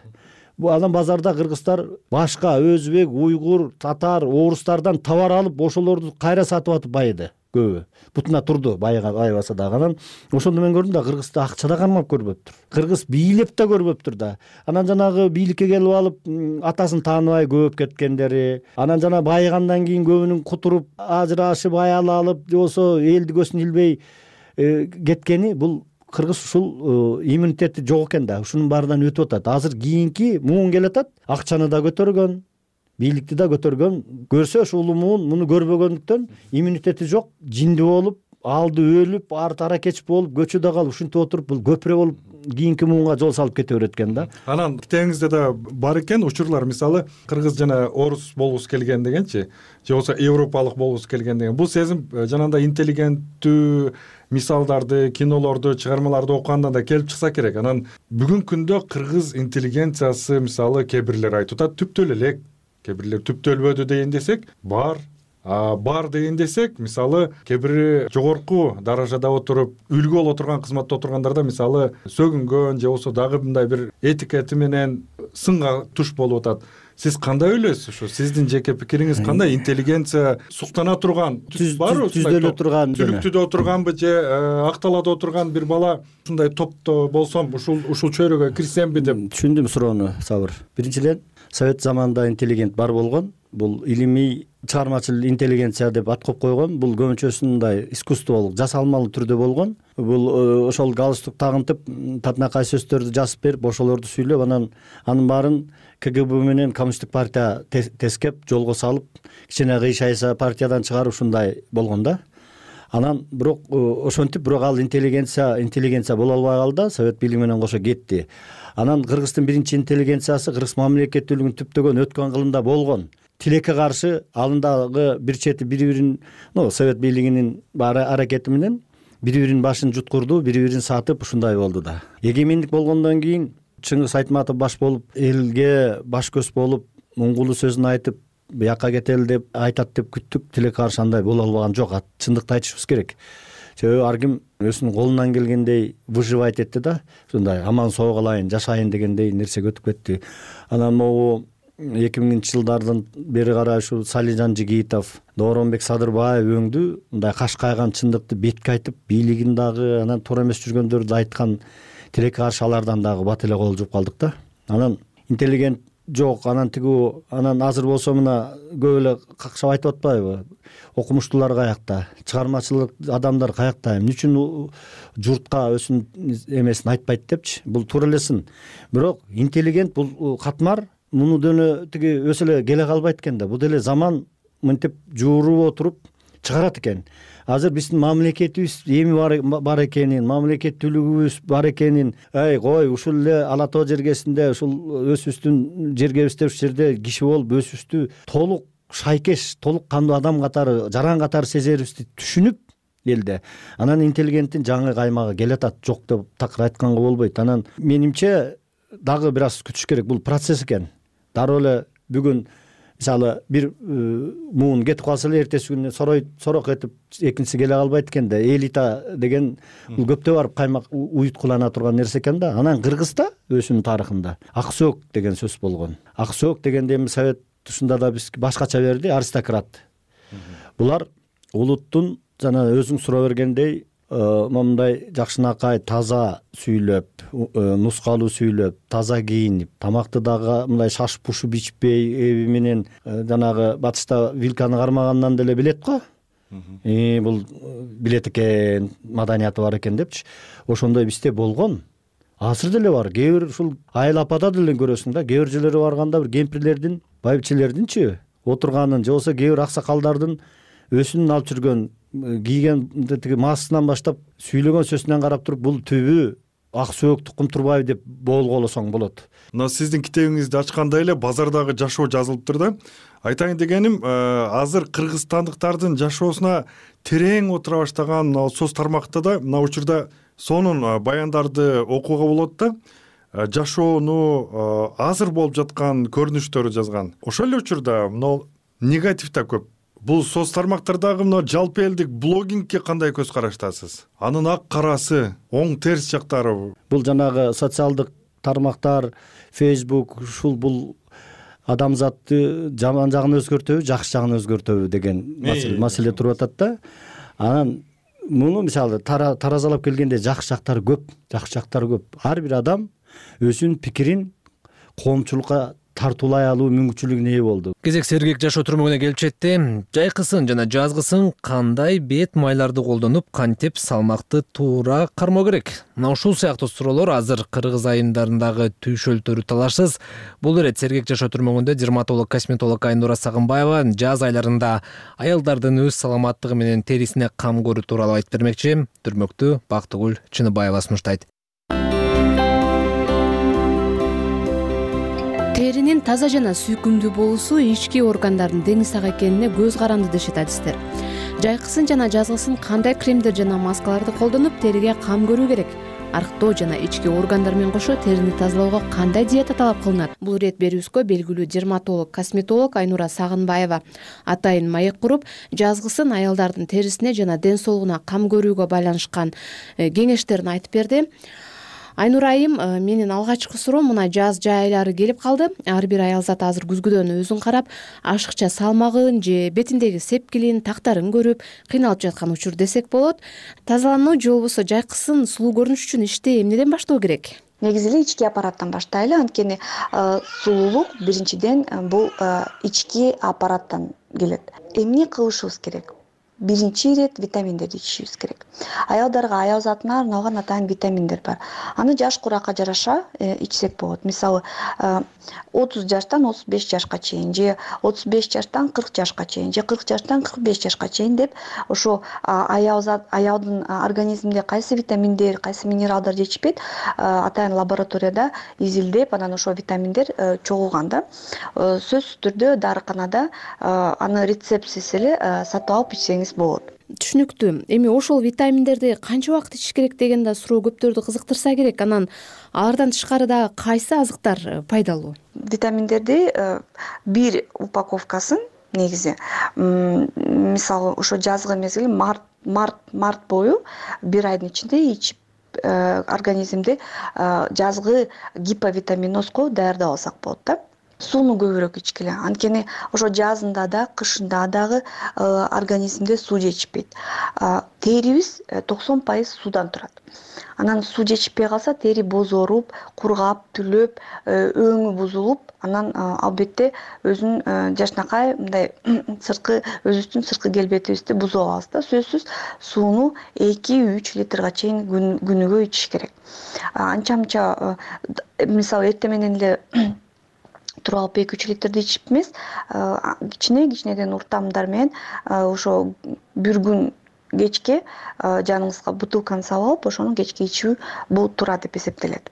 Бу анан базарда кыргыздар башка өзбек, уйгур, татар, орустардан товар алып, ошолорду кайра сатып атып байыды. көбү бутуна турду байыбаса дагы. Анан ошондо мен көрдүм да кыргызды акча да кармап көрбөптүр, кыргыз бийлеп да көрбөптүр да. Анан жанагы бийликке келип алып атасын тааныбай көп кеткендери, анан жана байыгандан кийин көбүнүн кутуруп ажырашып аял алып же болбосо элди көзүн илбей кеткени, бул кыргыз ушул иммунитети жок экен да, ушунун баарынан өтүп атат. Азыр кийинки муун келатат, акчаны да көтөргөн, бийликти да көтөргөн, көрсө ушул муун муну көрбөгөндүктөн иммунитети жок, жинди болуп, алды өлүп, арты аракеч болуп, көчөдө калып ушинтип отуруп, бул көпүрө болуп кийинки муунга жол салып кете берет экен да. Анан китебиңизде да бар экен учурлар, мисалы кыргыз жана орус болгусу келген дегенчи, же болбосо европалык болгусу келген деген. Бул сезим жанагындай интеллигенттүү мисалдарды, кинолорду, чыгармаларды окугандан да келип чыкса керек. Анан бүгүнкү күндө кыргыз интеллигенциясы, мисалы кээ бирлер айтып атат, түптөлө элек, кээ бирлер түптөлбөдү деген десек, бар. А бар деген десек, мисалы кээ бири жогорку даражада отуруп, үлгү боло турган кызматта отургандарда мисалы сөгүнгөн же болбосо дагы мындай бир этикети менен сынга туш болуп атат. Сиз кандай ойлойсуз? Ушу сиздин жеке пикириңиз кандай? Интеллигенция суктана турган, барбы? Түздөлө турган, түлүктүдө отурганбы же акталада отурган бир бала ушундай топто болсом, ушул ушул чөйрөгө кирсемби деп. Түшүндүм суроону, Сабыр. Биринчиден, совет заманында интеллигент бар болгон. Бул илимий чыгармачыл интеллигенция деп ат коюп койгон. Бул көбүнчөсүндай искусстволук, жасалмалуу түрдө болгон. Бул ошол галстук тагынтып, татынакай сөздөрдү жазып берип, ошолорду сүйлөп, анан анын баарын КГБ менен коммунисттик партия тескеп, жолго салып, кичине кыйшайса партиядан чыгарып ушундай болгон да. Анан бирок ошентип, бирок ал интеллигенция, интеллигенция боло албай калды, совет бийлиги менен кошо кетти. Анан Кыргыздын биринчи интеллигенциясы кыргыз мамлекеттүүлүгүн түптөгөн өткөн кылымда болгон. Тилекке каршы алындагы бир чети бири-бирин, ну, совет бийлигинин аракети менен бири-биринин башын жуткурду, бири-бирин сатып ушундай болду да. Эгемендик болгондон кийин Чыңгыз Айтматов баш болуп, элге баш көз болуп, муңгулуу сөзүн айтып, бияка кетели деп айтат деп күттүк, тилекке каршы андай боло албаган жок. Чындыкты айтышыбыз керек. Себеби ар ким өзүнүн колунан келгендей выживать этти да, ушундай аман соо калайын, жашайын дегендей нерсеге өтүп кетти. Анан могу эки миңинчи жылдардан бери карай ушу Салижан Жигитов, Дооронбек Садырбаев өңдү мындай каш кайган чындыкты бетке айтып, бийлигин дагы, анан туура эмес жүргөндөрдү айткан, тилекке каршы алардан дагы бат эле кол жууп калдык да. Анан интеллигент жок, анан тигүү, анан азыр болсо мына көп эле какшап айтып атпайбы? Окумуштуулар каякта, чыгармачылык адамдар каякта, эмне үчүн журтка өзүнүн эмесин айтпайт депчи? Бул туура эле сын. Бирок интеллигент бул катмар, муну деле тиги өсө эле келе калбайт экен да. Бул деле заман мынтип жууруп отуруп чыгарат экен. Азыр биздин мамлекетибиз эми бар экенин, мамлекеттүүлүгүбүз бар экенин, ай кой, ушул эле Ала тоо жергесинде, ушул өзүбүздүн жергебизде, ушул жерде киши болуп өзүбүздү толук шайкеш, толук кандуу адам катары, жаран катары сезерибизди түшүнүп элде. Анан интеллигенттин жаңы каймагы келатат, жок деп такыр айтканга болбойт. Анан менимче дагы бир аз күтүш керек, бул процесс экен. Дароо эле бүгүн мисалы бир муун кетип калса эле эртеси күнү сорой сорок этип экинчиси келе калбайт экен да. Элита деген бул көптө барып каймак уюткулана турган нерсе экен да. Анан Кыргызда өзүнүн тарыхында ак сөөк деген сөз болгон. Ак сөөк дегенде эми совет тушунда да биз башкача берди, аристократ. Булар улуттун жана өзүң суроо бергендей мындай жакшынакай таза сүйлөп, нускалуу сүйлөп, таза кийинип, тамакты дагы мындай шаш пушуп ичпей, эби менен жанагы батышта вилканы кармагандан деле билет го. И бул билет экен, маданияты бар экен депчи. Ошондой бизде болгон. Азыр деле бар. Кээ бир ушул айыл апада деле көрөсүң да, кээ бир жерлерге барганда бир кемпирлердин, байбичелердинчи отурганын, же болбосо кээ бир аксакалдардын өсүнүн алып жүргөн, кийген тиги маасынан баштап сүйлөгөн сөзүнөн карап туруп, бул түбү ак сөөк тукум турбайбы деп болгоолосоң болот. Мына сиздин китебиңизди ачкандай эле базардагы жашоо жазылыптыр да. Айтайын дегеним, азыр кыргызстандыктардын жашоосуна терең отура баштаган соц тармакта да мына учурда сонун баяндарды окууга болот да. Жашоону азыр болуп жаткан көрүнүштөрү жазган. Ошол эле учурда мына негатив да көп. Бул соц тармактардагы мына жалпы элдик блогингке кандай көз караштасыз? Анын ак карасы, оң терс жактары. Бул жанагы социалдык тармактар, Facebook, ушул бул адамзатты жаман жагын өзгөртөбү, жакшы жагын өзгөртөбү деген маселе туруп атат да. анан муну мисалы таразалап келгенде жакшы жактары көп, жакшы жактары көп. Ар бир адам өзүнүн пикирин коомчулукка тартуулай алуу мүмкүнчүлүгүнө ээ болду. Кезек сергек жашоо түрмөгүнө келип жетти. Жайкысын жана жазгысын кандай бет майларды колдонуп, кантип салмакты туура кармоо керек? Мына ушул сыяктуу суроолор азыр Кыргыз айымдарындагы түйшөлтөрү талашсыз. Бул ирет сергек жашоо түрмөгүндө дерматолог, косметолог Айнура Сагынбаева жаз айларында аялдардын өз саламаттыгы менен терисине кам көрүү тууралуу айтып бермекчи. Түрмөктү Бактыгүл Чыныбаева сунуштайт. Теринин таза жана сүйкүмдүү болуусу ички органдардын деңиз ак экенине көз каранды дешет адистер. Жайкысын жана жазгысын кандай кремдер жана маскаларды колдонуп териге кам көрүү керек? Арыктоо жана ички органдар менен кошо терини тазалоого кандай диета талап кылынат? Бул ирет берүүбүзгө белгилүү дерматолог, косметолог Айнура Сагынбаева атайын маек куруп, жазгысын аялдардын терисине жана ден соолугуна кам көрүүгө байланышкан кеңештерин айтып берди. Айнура айым, менин алгачкы суроом мына жаз жай айлары келип калды. Ар бир аялзат азыр күзгүдөн өзүн карап, ашыкча салмагын же бетиндеги сепкилин, тактарын көрүп, кыйналып жаткан учур десек болот. Тазалануу же болбосо жайкысын сулуу көрүнүш үчүн ишти эмнеден баштоо керек? Негизи эле ички аппараттан баштайлы, анткени сулуулук биринчиден бул ички аппараттан келет. Эмне кылышыбыз керек? Биринчи ирет витаминдерди ичишибиз керек. Аялдарга аял затына арналган атайын витаминдер бар. Аны жаш куракка жараша ичсек болот. Мисалы, отуз жаштан отуз беш жашка чейин, же отуз беш жаштан кырк жашка чейин, же кырк жаштан кырк беш жашка чейин деп ошо аял зат, аялдын организминде кайсы витаминдер, кайсы минералдар жетишпейт, атайын лабораторияда изилдеп, анан ошо витаминдер чогулган да. Сөзсүз түрдө дарыканада аны рецептсиз эле сатып алып ичсеңиз болот. Түшүнүктүү. Эми ошол витаминдерди канча убакыт ичиш керек деген да суроо көптөрдү кызыктырса керек. Анан алардан тышкары дагы кайсы азыктар пайдалуу? Витаминдерди бир упаковкасын негизи мисалы ошо жазгы мезгил март март март бою бир айдын ичинде ичип организмди жазгы гиповитаминозго даярдап алсак болот да. Сууну көбүрөөк ичкиле. Анткени ошо жазында да, кышында дагы организмде суу жетишпейт. Терибиз токсон пайыз суудан турат. Анан суу жетишпей калса, тери бозоруп, кургап, түлөп, өңү бузулуп, анан албетте өзүнүн жашынакай мындай сырткы өзүбүздүн сырткы келбетибизди бузуп алабыз да. Сөзсүз сууну эки үч литрга чейин күнүгө ичиш керек. Анча-мынча мисалы эртең менен эле туруп алып эки үч литрди ичип эмес, кичине кичинеден уртамдар менен ошо бир күн кечке жаныңызга бутылканы салып алып, ошону кечке ичүү бул туура деп эсептелет.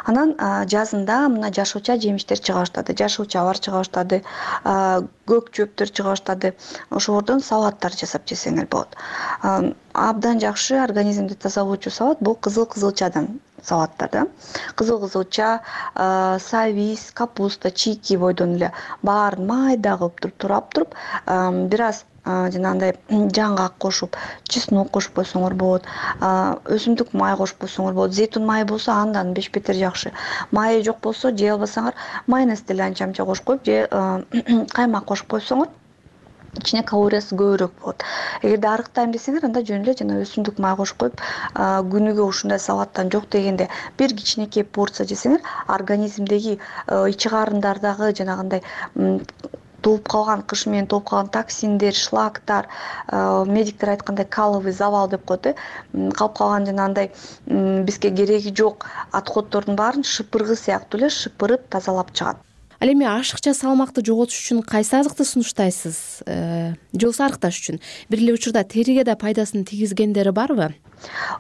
Анан жазында мына жашылча жемиштер чыга баштады, жашылчалар чыга баштады, көк чөптөр чыга баштады. Ошолордон салаттар жасап жесеңер болот. Абдан жакшы организмди тазалоочу салат бул кызыл кызылчадан салаттар да. Кызыл кызылча, савис, капуста, чийки бойдон эле баарын майда кылып туруп турап туруп, бир аз жанагындай жаңгак кошуп, чеснок кошуп койсоңор болот, өсүмдүк май кошуп койсоңор болот. Зейтун майы болсо андан беш бетер жакшы. Майы жок болсо, жей албасаңар, майонезди эле анча-мынча кошуп коюп, же каймак кошуп койсоңор, ичине калориясы көбүрөөк болот. Эгерде арыктайм десеңер, анда жөн эле жана өсүмдүк май кошуп коюп, күнүгө ушундай салаттан жок дегенде бир кичинекей порция жесеңер, организмдеги ичи карындардагы жанагындай толуп калган, кыш менен толуп калган токсиндер, шлактар, медиктер айткандай каловый завал деп коет, калып калган жанагындай бизге кереги жок отходдордун баарын шыпыргы сыяктуу эле шыпырып тазалап чыгат. Ал эми ашыкча салмакты жоготуш үчүн кайсы азыкты сунуштайсыз? Же болбосо арыкташ үчүн? Бир эле учурда териге да пайдасын тийгизгендери барбы?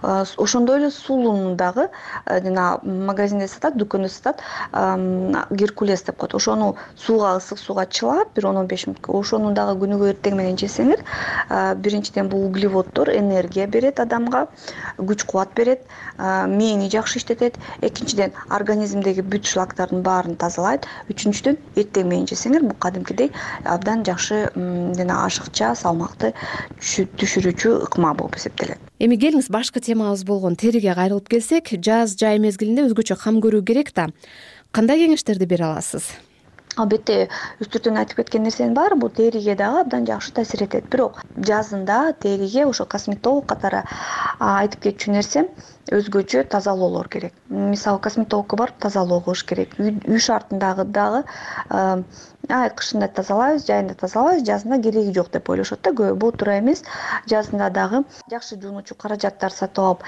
Ошондой эле сулууну дагы жана магазинде сатат, дүкөндө сатат, геркулес деп коет. Ошону сууга, ысык сууга чылап, бир он он беш мүнөткө, ошону дагы күнүгө эртең менен жесеңер, биринчиден бул углеводдор энергия берет адамга, күч кубат берет, мээни жакшы иштетет. Экинчиден организмдеги бүт шлактардын баарын тазалайт. Үчүнчүдөн эртең менен жесеңер, бул кадимкидей абдан жакшы жана ашыкча салмакты түшүрүүчү ыкма болуп эсептелет. Эми келиңиз башкы темабыз болгон териге кайрылып келсек, жаз жай мезгилинде өзгөчө кам көрүү керек да. Кандай кеңештерди бере аласыз? албетте үстүртөн айтып кеткен нерсенин баары бул териге дагы абдан жакшы таасир этет. Бирок жазында териге ошо косметолог катары айтып кетчү нерсем өзгөчө тазалоолор керек. Мисалы косметологко барып тазалоо кылыш керек. Үй шартындагы дагы ай кышында тазалайбыз, жайында тазалайбыз, жазында кереги жок деп ойлошот да көбү. Бул туура эмес. Жазында дагы жакшы жуунучу каражаттар сатып алып,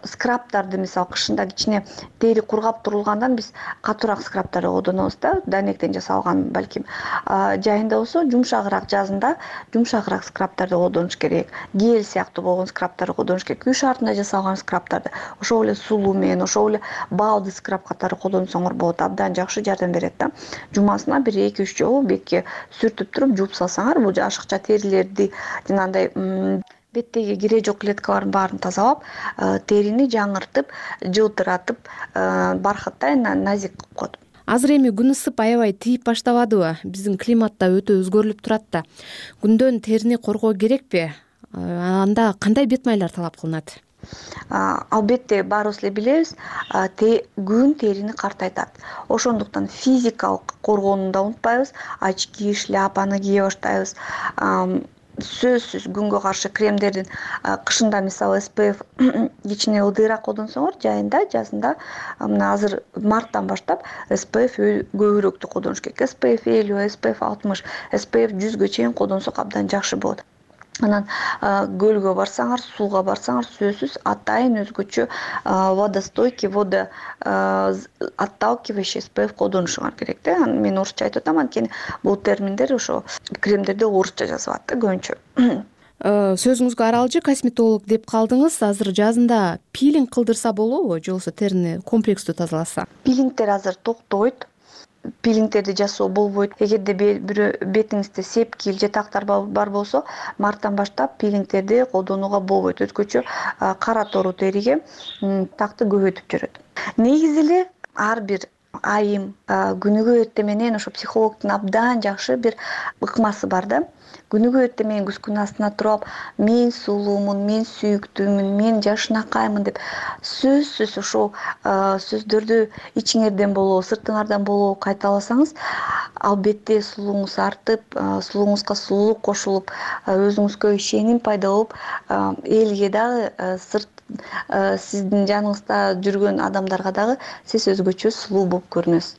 скрабтарды мисалы кышында кичине тери кургап турулгандан биз катуураак скрабтарды колдонобуз да, дайнектен жасалган балким. Жайында болсо жумшагыраак, жазында жумшагыраак скрабтарды колдонуш керек. Гель сыяктуу болгон скрабтарды колдонуш керек. Үй шартында жасалган скрабтарды, ошол эле сулуу менен, ошол эле балды скраб катары колдонсоңор болот. Абдан жакшы жардам берет да. Жумасына бир эки үч жолу бетке сүртүп туруп жууп салсаңар, бул ашыкча терилерди, жанагындай беттеги кире жок клеткалардын баарын тазалап, терини жаңыртып, жылтыратып, бархаттай назик кылып коет. Азыр эми күн ысып аябай тийип баштабадыбы? Биздин климат да өтө өзгөрүлүп турат да. Күндөн терини коргоо керекпи? Анда кандай бет майлар талап кылынат? Албетте баарыбыз эле билебиз, күн терини картайтат. Ошондуктан физикалык коргоону да унутпайбыз, очки, шляпаны кие баштайбыз. Сөзсүз күнгө каршы кремдердин кышында мисалы эс пэ эф кичине ылдыйраак колдонсоңор, жайында, жазында мына азыр марттан баштап эс пэ эф көбүрөөктү колдонуш керек. эс пэ эф элүү, эс пэ эф алтымыш, эс пэ эф жүзгө чейин колдонсок абдан жакшы болот. Анан көлгө барсаңар, сууга барсаңар, сөзсүз атайын өзгөчө водостойкий, водо отталкивающий эс пэ эф колдонушуңар керек да. Мен орусча айтып атам, анткени бул терминдер ошо кремдерде орусча жазылат да көбүнчө. Сөзүңүзгө аралжы косметолог деп калдыңыз. Азыр жазында пилинг кылдырса болобу, же болбосо терини комплекстүү тазаласа? Пилингтер азыр токтойт. Пилингтерди жасоо болбойт. Эгерде бетиңизде сепкил же тактар бар болсо, марттан баштап пилингтерди колдонууга болбойт. Өзгөчө кара тору териге такты көбөйтүп жүрөт. Негизи эле ар бир айым күнүгө эртең менен ошо психологдун абдан жакшы бир ыкмасы бар да. Күнүгө эртең менен күзгүнүн астына туруп, мен сулуумун, мен сүйүктүүмүн, мен жашынакаймын деп сөзсүз ошол сөздөрдү ичиңерден болобу, сыртыңардан болобу кайталасаңыз, албетте сулууңуз артып, сулууңузга сулуулук кошулуп, өзүңүзгө ишеним пайда болуп, элге дагы сырт сиздин жаныңызда жүргөн адамдарга дагы сиз өзгөчө сулуу болуп көрүнөсүз.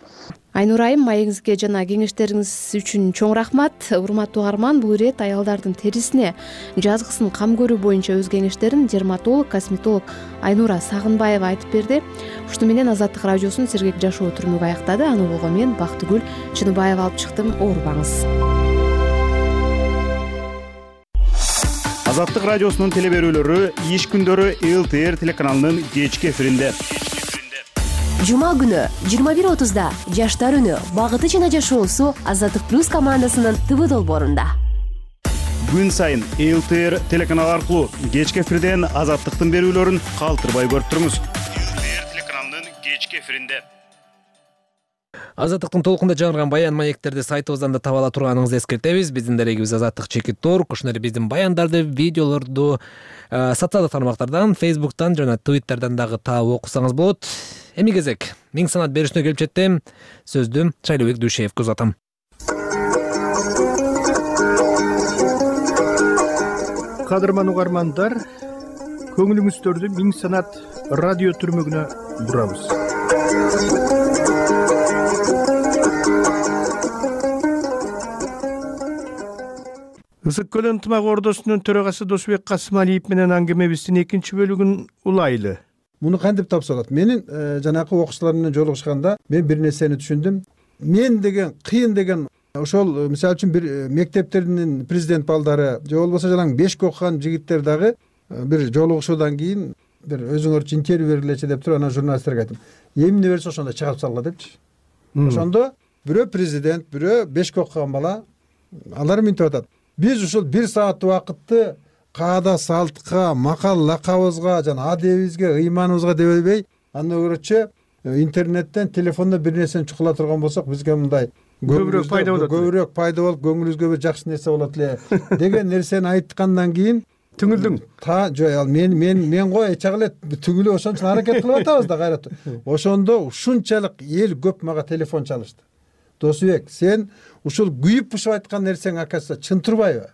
Айнура айым, маегиңизге жана кеңештериңиз үчүн чоң рахмат. Урматтуу угарман, бул ирет аялдардын терисине жазгысын кам көрүү боюнча өз кеңештерин дерматолог, косметолог Айнура Сагынбаева айтып берди. Ушуну менен Азаттык радиосунун сергек жашоо түрмөгү аяктады. Аны болгон мен Бактыгүл Чыныбаева алып чыктым. Оорубаңыз. Азаттык радиосунун телеберүүлөрү иш күндөрү эл тэ эр телеканалынын кечки эфиринде. Жума күнү жыйырма бир отузда Жаштар үнү багыты жана жашоосу Азаттык плюс командасынын ТВ долбоорунда. Күн сайын эл тэ эр телеканалы аркылуу кечки эфирден Азаттыктын берүүлөрүн калтырбай көрүп туруңуз. эл тэ эр телеканалынын кечки эфиринде. Азаттыктын толкунда жаңырган баян маектерди сайтыбыздан да таба ала турганыңызды эскертебиз. Биздин дарегибиз Азаттык чекит орг. Ошондой эле биздин баяндарды, видеолорду социалдык тармактардан, Фейсбуктан жана Твиттерден дагы таап окусаңыз болот. Эми кезек миң санат берүүсүнө келип жетти. Сөздү Шайлообек Дүйшеевге узатам. Кадырман угармандар, көңүлүңүздөрдү миң санат радио түрмөгүнө бурабыз. Ысык көл ынтымак ордосунун төрагасы Досбек Касымалиев менен аңгемебиздин экинчи бөлүгүн улайлы. Муну кантип тапса болот? Менин жанакы окуучулар менен жолугушканда мен бир нерсени түшүндүм. Мен деген кыйын деген ошол мисалы үчүн бир мектептердин президент балдары же болбосо жанагы бешке окуган жигиттер дагы бир жолугушуудан кийин бир өзүңөр интервью бергилечи деп туруп анан журналисттерге айттым. Эмне берсе ошондо чыгарып салгыла депчи. Ошондо бирөө президент, бирөө бешке окуган бала алар мынтип атат. Биз ушул бир саат убакытты каада салтка, макал лакабыбызга жана адебибизге, ыйманыбызга дебей, андан көрөчү интернеттен, телефондон бир нерсени чукула турган болсок, бизге мындай көбүрөөк пайда болот. Көбүрөөк пайда болуп, көңүлүбүзгө бир жакшы нерсе болот эле деген нерсени айткандан кийин түңүлдүң. Та жок, мен мен мен го эч эле түгүлүп ошон үчүн аракет кылып атабыз да кайра. Ошондо ушунчалык эл көп мага телефон чалышты. Досубек, сен ушул күйүп бушуп айткан нерсең оказывается чын турбайбы?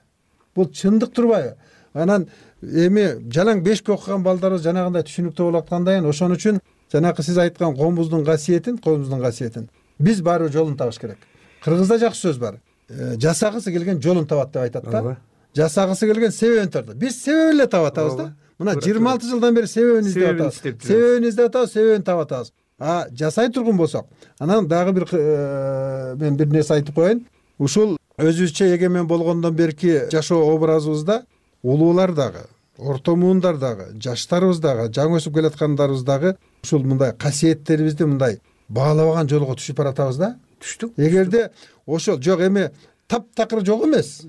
Бул чындык турбайбы? Анан эми жалаң бешке окуган балдарыбыз жанагындай түшүнүктүү болуп аткандан кийин ошон үчүн жанакы сиз айткан коомубуздун касиетин, коомубуздун касиетин биз барыбыр жолун табыш керек. Кыргызда жакшы сөз бар. Жасагысы келген жолун табат деп айтат да. Жасагысы келген себебин табат. Биз себебин эле таап атабыз да. Мына жыйырма алты жылдан бери себебин издеп атабыз. Себебин издеп атабыз, себебин таап атабыз. А жасай тургун болсок, анан дагы бир мен бир нерсе айтып коеюн. Ушул өзүбүзчө эгемен болгондон берки жашоо образыбызда улуулар дагы, орто муундар дагы, жаштарыбыз дагы, жаңы өсүп келаткандарыбыз дагы ушул мындай касиеттерибизди мындай баалабаган жолго түшүп баратабыз да. Түштүк. Эгерде ошол жок эми таптакыр жок эмес,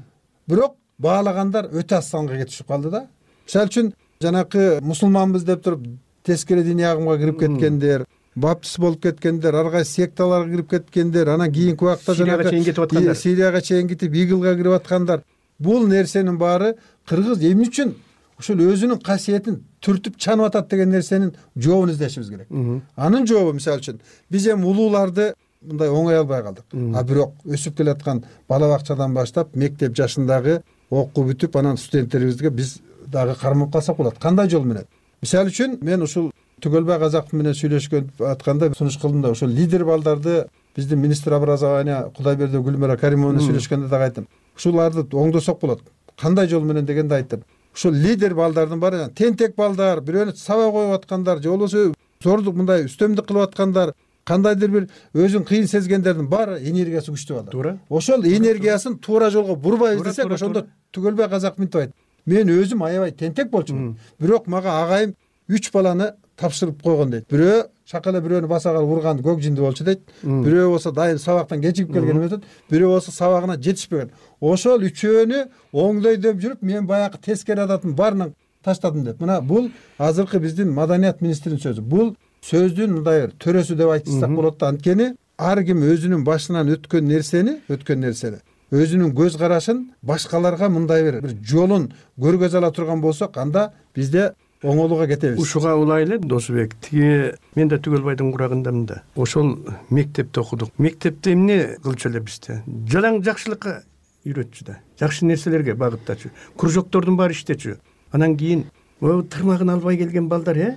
бирок баалагандар өтө аз санга кетишип калды да. Мисалы үчүн жанакы мусулманбыз деп туруп тескери диний агымга кирип кеткендер, баптист болуп кеткендер, ар кайсы секталарга кирип кеткендер, анан кийинки убакта жанагы Сирияга чейин кетип Игылга кирип аткандар. Бул нерсенин баары кыргыз эмне үчүн ушул өзүнүн касиетин түртүп чанып атат деген нерсенин жообун издешибиз керек. Анын жообу мисалы үчүн биз эми улууларды мындай оңой албай калдык. А бирок өсүп келаткан бала бакчадан баштап мектеп жашындагы окуу бүтүп анан студенттерибизге биз дагы кармап калсак болот. Кандай жол менен? Мисалы үчүн мен ушул Түгөлбай Казаков менен сүйлөшкөн атканда сунуш кылдым да, ошол лидер балдарды биздин министр образования Кудайберди Гүлмира Каримова менен сүйлөшкөндө дагы айттым. Ушуларды оңдосок болот. Кандай жол менен дегенде айттым. Ушул лидер балдардын баары тентек балдар, бирөөнү сабак коюп аткандар, же болбосо зордук мындай үстөмдүк кылып аткандар, кандайдыр бир өзүн кыйын сезгендердин баары энергиясы күчтүү балдар. Туура. Ошол энергиясын туура жолго бурбайбыз десек, ошондо Түгөлбай Казаков мынтип айтты. Мен өзүм аябай тентек болчумун, бирок мага агайым үч баланы тапшырып койгон дейт. Бирөө шакала бирөөнү баса калып урган көк жинди болчу дейт. Бирөө болсо дайым сабактан кечигип келген эмес, бирөө болсо сабагына жетишпеген. Ошол үчөөнү оңдой деп жүрүп, мен баягы тескери адатын баарынан таштадым деп. Мына бул азыркы биздин маданият министринин сөзү. Бул сөздүн мындай төрөсү деп айтсак болот да. Анткени ар ким өзүнүн башынан өткөн нерсени, өткөн нерсени, өзүнүн көз карашын башкаларга мындай бир жолун көргөзө ала турган болсок, анда бизде оңолууга кетебиз. Ушуга улайлы Досубек, тиги мен да Түгөлбайдын курагындамын да. Ошол мектепте окудук. Мектепте эмне кылчу эле бизде? Жалаң жакшылыкка үйрөтчү да. Жакшы нерселерге багыттачу. Кружоктордун баары иштечү. Анан кийин тырмагын албай келген балдар, э?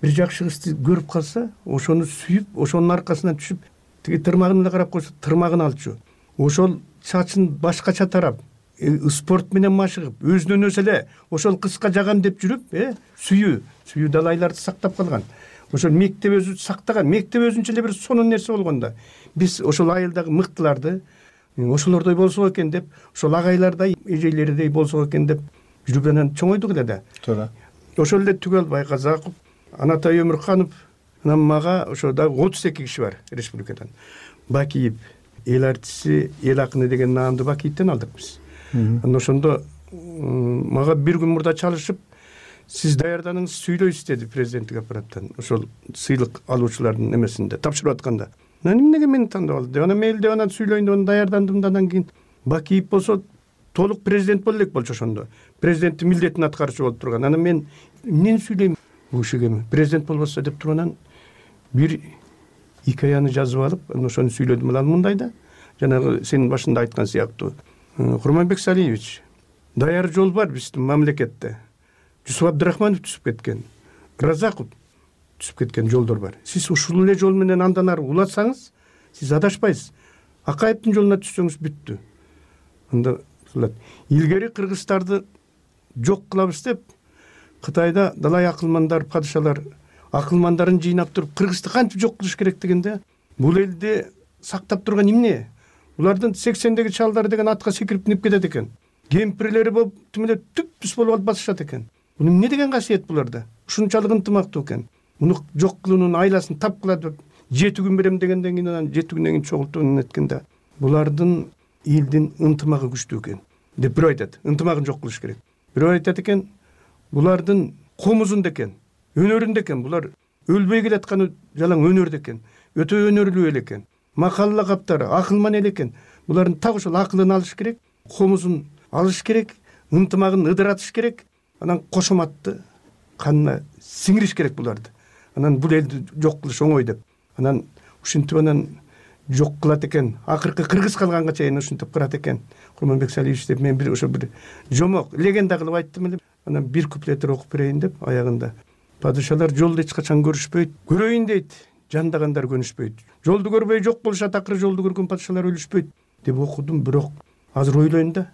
Бир жакшы кызды көрүп калса, ошону сүйүп, ошонун аркасынан түшүп, тиги тырмагын эле карап койсо, тырмагын алчу. Ошол чачын башкача тарап, спорт менен машыгып, өзүнөн өзү эле ошол кызга жагам деп жүрүп, э, сүйүү, сүйүү далайларды сактап калган. Ошол мектеп өзү сактаган, мектеп өзүнчө эле бир сонун нерсе болгондо. Биз ошол айылдагы мыктыларды ошолордой болсок экен деп, ошол агайлардай, эжейлердей болсок экен деп жүрүп анан чоңойдук эле да. Туура. Ошол эле Түгөлбай Казаков, Анатай Өмүрканов, анан мага ошо да отуз эки киши бар республикадан. Бакиев, эл артисти, эл акыны деген наамды Бакиевден алдык биз. Анан ошондо мага бир күн мурда чалышып, сиз даярданыңыз, сүйлөйсүз деди президенттик аппараттан. Ошол сыйлык алуучулардын эмесинде тапшырып атканда. Анан эмнеге мени тандап алды деп, анан мен деп анан сүйлөйүн деп даярдандым да, анан кийин Бакиев болсо толук президент боло элек болчу ошондо. Президенттин милдетин аткаруучу болуп турган. Анан мен эмнени сүйлөйм бул кишиге? Президент болбосо деп турганан бир хикаяны жазып алып, ошону сүйлөдүм. Анан мындай да, жанагы сенин башында айткан сыяктуу, Курманбек Салиевич, даяр жол бар биздин мамлекетте. Жусуп Абдрахманов түзүп кеткен, Разаков түзүп кеткен жолдор бар. Сиз ушул эле жол менен андан ары улатсаңыз, сиз адашпайсыз. Акаевдин жолуна түшсөңүз бүттү. Анда илгери кыргыздарды жок кылабыз деп, Кытайда далай акылмандар, падышалар акылмандарын жыйнап туруп, Кыргызды кантип жок кылыш керек дегенде, бул элди сактап турган эмне? Улардын сексендеги чалдары деген атка секирип минип кетет экен. Кемпирлери болуп, түмөлөп түп-түз болуп алып басышат экен. Бул эмне деген касиет буларда? Ушунчалык ынтымактуу экен. Муну жок кылуунун айласын тапкыла деп жети күн берем дегенден кийин анан жети күндөн кийин чогултууну эткенде, булардын элдин ынтымагы күчтүү экен деп бирөө айтат. Ынтымагын жок кылыш керек. Бирөө айтат экен, булардын комузунда экен, өнөрүндө экен. Булар өлбөй келатканы жалаң өнөрдө экен. Өтө өнөрлүү эл экен. Макалла каптары, акылман эл экен. Булардын так ошол акылын алыш керек, комузун алыш керек, ынтымагын ыдыратыш керек. Анан кошоматты канына сиңириш керек буларды. Анан бул элди жок кылыш оңой деп. Анан ушинтип анан жок кылат экен, акыркы кыргыз калганга чейин ушинтип кырат экен Курманбек Салиевич деп мен бир ошо бир жомок легенда кылып айттым эле. Анан бир куплеттер окуп берейин деп аягында: падышалар жолду эч качан көрүшпөйт, көрөйүн дейт, жандагандар көнүшпөйт. Жолду көрбөй жок болушат, акыры жолду көргөн падышалар өлүшпөйт деп окудум. Бирок азыр ойлойм да,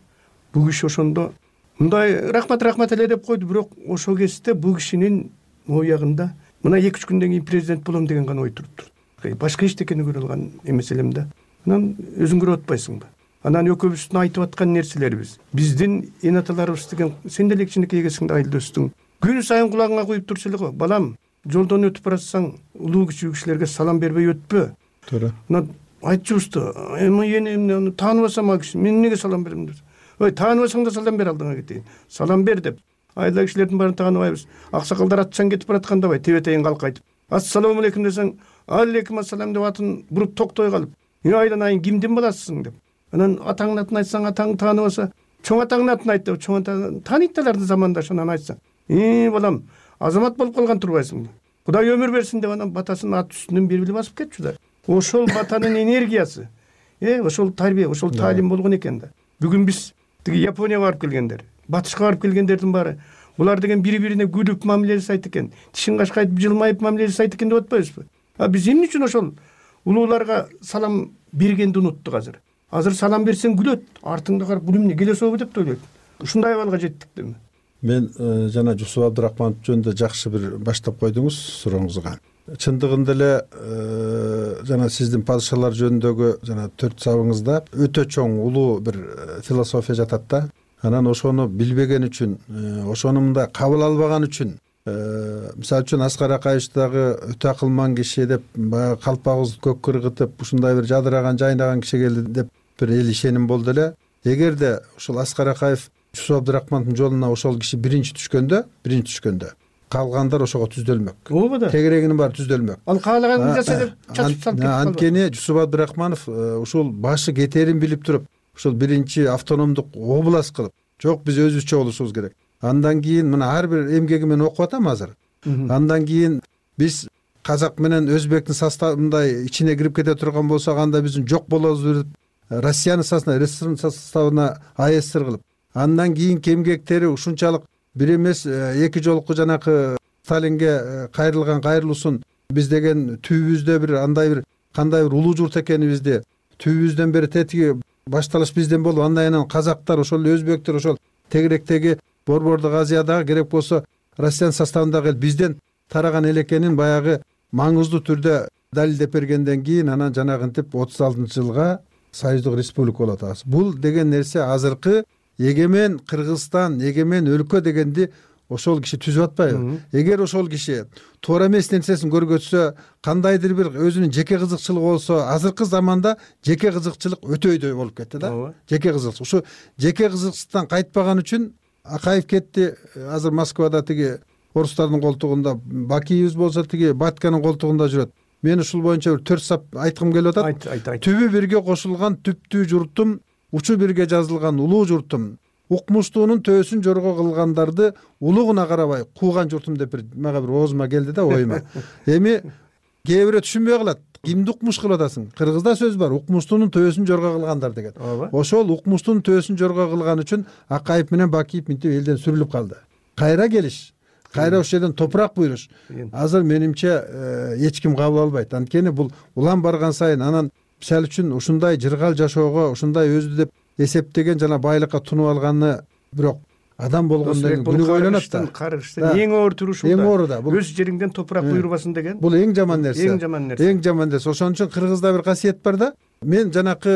бул киши ошондо мындай рахмат рахмат эле деп койду, бирок ошол кезде бул кишинин оягында мына эки үч күндөн кийин президент болом деген гана ой туруптур. Башка эчтекени көрө алган эмес элем да. Анан өзүң көрүп атпайсыңбы? Анан экөөбүздүн айтып аткан нерселерибиз, биздин эн аталарыбыз деген, сен деле кичинекей экенсиң да, айылдөстүң. Күн сайын кулагыңа куюп турчу эле го: балам, жолдон өтүп баратсаң улуу кичүү кишилерге салам бербей өтпө. Туура. Мына айтчубузду, эми эне тааныбасам ал киши, мен эмнеге салам берем деп. Ой, тааныбасаң да салам бер, алдыңа кетейин. Салам бер деп. Айла кишилердин баарын тааныбайбыз. Аксакалдар атчан кетип баратканда бай, тебетейин калк айтып: ассалам алейкум десең, алейкум ассалам деп атын буруп токтой калып: "Мен айланайын, кимдин баласысың?" деп. Анан атаңдын атын айтсаң, атаң тааныбаса, чоң атаңдын атын айт деп, чоң ата тааныйт аларды замандашынан айтсаң: "Э, балам, азамат болуп калган турбайсыңбы? Кудай өмүр берсин" деп анан батасын ат үстүнөн бери биле басып кетчү да. Ошол батанын энергиясы, э, ошол тарбия, ошол таалим болгон экен да. Бүгүн биз тиги Японияга барып келгендер, батышка барып келгендердин баары булар деген бири-бирине күлүп мамиле жасайт экен, тишин кашкайтып жылмайып мамиле жасайт экен деп атпайбызбы? А биз эмне үчүн ошол улууларга салам бергенди унуттук азыр? Азыр салам берсең күлөт, артыңда карап бул эмне келесобу деп ойлойт. Ушундай абалга жеттик деме. Мен жана Жусуп Абдырахманов жөнүндө жакшы бир баштап койдуңуз сурооңузга. Чындыгында эле жана сиздин падышалар жөнүндөгү жана төрт сабыңызда өтө чоң улуу бир философия жатат да. Анан ошону билбеген үчүн, ошону мындай кабыл албаган үчүн, мисалы үчүн Аскар Акаевич дагы өтө акылман киши деп, баягы калпагыбызды көккө ыргытып, ушундай бир жадыраган, жайнаган киши келди деп бир эл ишеним болду эле. Эгерде ушул Аскар Акаев Жусуп Абдырахмановдун жолуна ошол киши биринчи түшкөндө, биринчи түшкөндө калгандар ошого түздөлмөк. Ооба да. Тегерегинин баары түздөлмөк. Ал каалаганын жаса деп чачып салып кетип калды. Анткени Жусуп Абдырахманов ушул башы кетерин билип туруп, ушул биринчи автономдук область кылып, жок биз өзүбүзчө болушубуз керек. Андан кийин мына ар бир эмгеги менен окуп атам азыр. Андан кийин биз казак менен өзбектин составындай ичине кирип кете турган болсок, анда биздин жок болобуз деп Россиянын составына, РСФнын составына АССР кылып, андан кийинки эмгектери ушунчалык бир эмес эки жолку жанакы Сталинге кайрылган кайрылуусун биз деген түбүбүздө бир андай бир кандай бир улуу журт экенибизди, түбүбүздөн бери тетиги башталыш бизден болуп, андан кийин казактар, ошол өзбектер, ошол тегеректеги Борбордук Азиядагы керек болсо Россиянын составындагы бизден тараган эл экенин баягы маңыздуу түрдө далилдеп бергенден кийин анан жанагынтип отуз алтынчы жылга Союздук Республика болуп атабыз. Бул деген нерсе азыркы эгемен Кыргызстан, эгемен өлкө дегенди ошол киши түзүп атпайбы? Эгер ошол киши туура эмес нерсесин көргөтсө, кандайдыр бир өзүнүн жеке кызыкчылыгы болсо, азыркы заманда жеке кызыкчылык өтө өйдө болуп кетти да. Жеке кызыкчылык. Ушу жеке кызыкчылыктан кайтпаган үчүн Акаев кетти. Азыр Москвада тиги орустардын колтугунда, Бакиевиз болсо тиги Батканын колтугунда жүрөт. Мен ушул боюнча бир төрт сап айткым келип атат. Түбү бирге кошулган түптүү журтум, учу бирге жазылган улуу журтум, укмуштуунун төсүн жорго кылгандарды улугуна карабай кууган журтум деп бир мага бир оозума келди да, оюма. Эми кээ бирөө түшүнбөй калат. Кимди укмуш кылып атасың? Кыргызда сөз бар, укмуштуунун төсүн жорго кылгандар деген. Ошол укмуштуунун төсүн жорго кылган үчүн Акаев менен Бакиев мынтип элден сүрүлүп калды. Кайра келиш, кайра ошол жерден топурак буйруш азыр менимче эч ким кабыл албайт. Анткени бул улам барган сайын анан мисалы үчүн ушундай жыргал жашоого, ушундай өзү деп эсептеген жана байлыкка тунуп алганы, бирок адам болгондон кийин күнү ойлонот да. Каргыштын эң оор турушу эң оор да. Өз жериңден топурак буйрубасын деген. Бул эң жаман нерсе. Эң жаман нерсе. Эң жаман нерсе. Ошон үчүн Кыргызда бир касиет бар да. Мен жанакы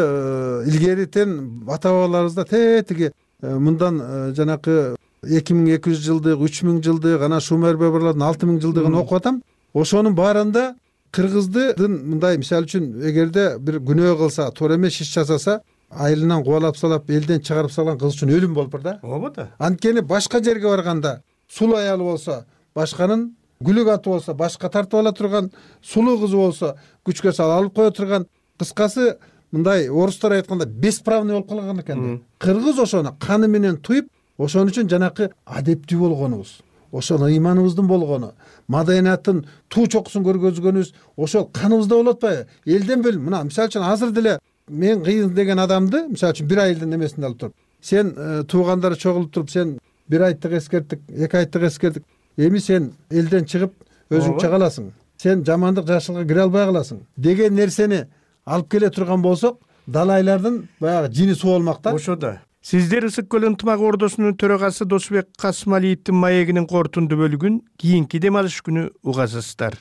илгеритен ата бабаларыбызда тетиги мындан жанакы эки миң эки жүз жылдык, үч миң жылдык, анан Шумер бабалардын алты миң жылдыгын окуп атам. Ошонун баарында кыргыздын мындай мисалы үчүн эгерде бир күнөө кылса, туура эмес иш жасаса, айылынан кубалап салап, элден чыгарып салган кыз үчүн өлүм болуп бар да. Ооба да. Анткени башка жерге барганда сулуу аялы болсо, башканын гүлүк аты болсо, башка тартып ала турган сулуу кызы болсо, күчкө салып алып кое турган, кыскасы мындай орустар айтканда бесправный болуп калган экен. Кыргыз ошону каны менен туюп, ошон үчүн жанакы адептүү болгонубуз, ошол ыйманыбыздын болгону, маданияттын туу чокусун көргөзгөнүбүз ошол каныбызда болуп атпайбы? Элден бил, мына мисалы үчүн азыр деле мен кыйын деген адамды, мисалы үчүн бир айдын эмесинде алып туруп, сен туугандары чогулуп туруп, сен бир айттык эскерттик, эки айттык эскердик, эми сен элден чыгып өзүң чыга аласың, сен жамандык жакшылыкка кире албай каласың деген нерсени алып келе турган болсок, далайлардын баягы жини суу болмак да. Ошо да. Сиздер Ысык көл ынтымак ордосунун төрагасы Досбек Касымалиевдин маегинин кортунду бөлүгүн кийинки дем алыш күнү угасыздар.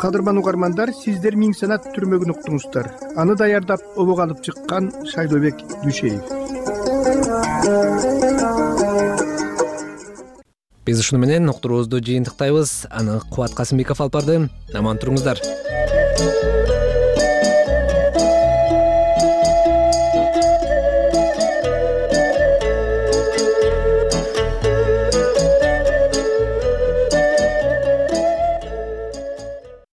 Кадырман угармандар, сиздер Миң санат түрмөгүн уктуңуздар. Аны даярдап обого алып чыккан Шайлообек Дүйшеев. Биз ушуну менен уктуруубузду жыйынтыктайбыз. Аны Кубат Касымбеков алып барды. Аман туруңуздар.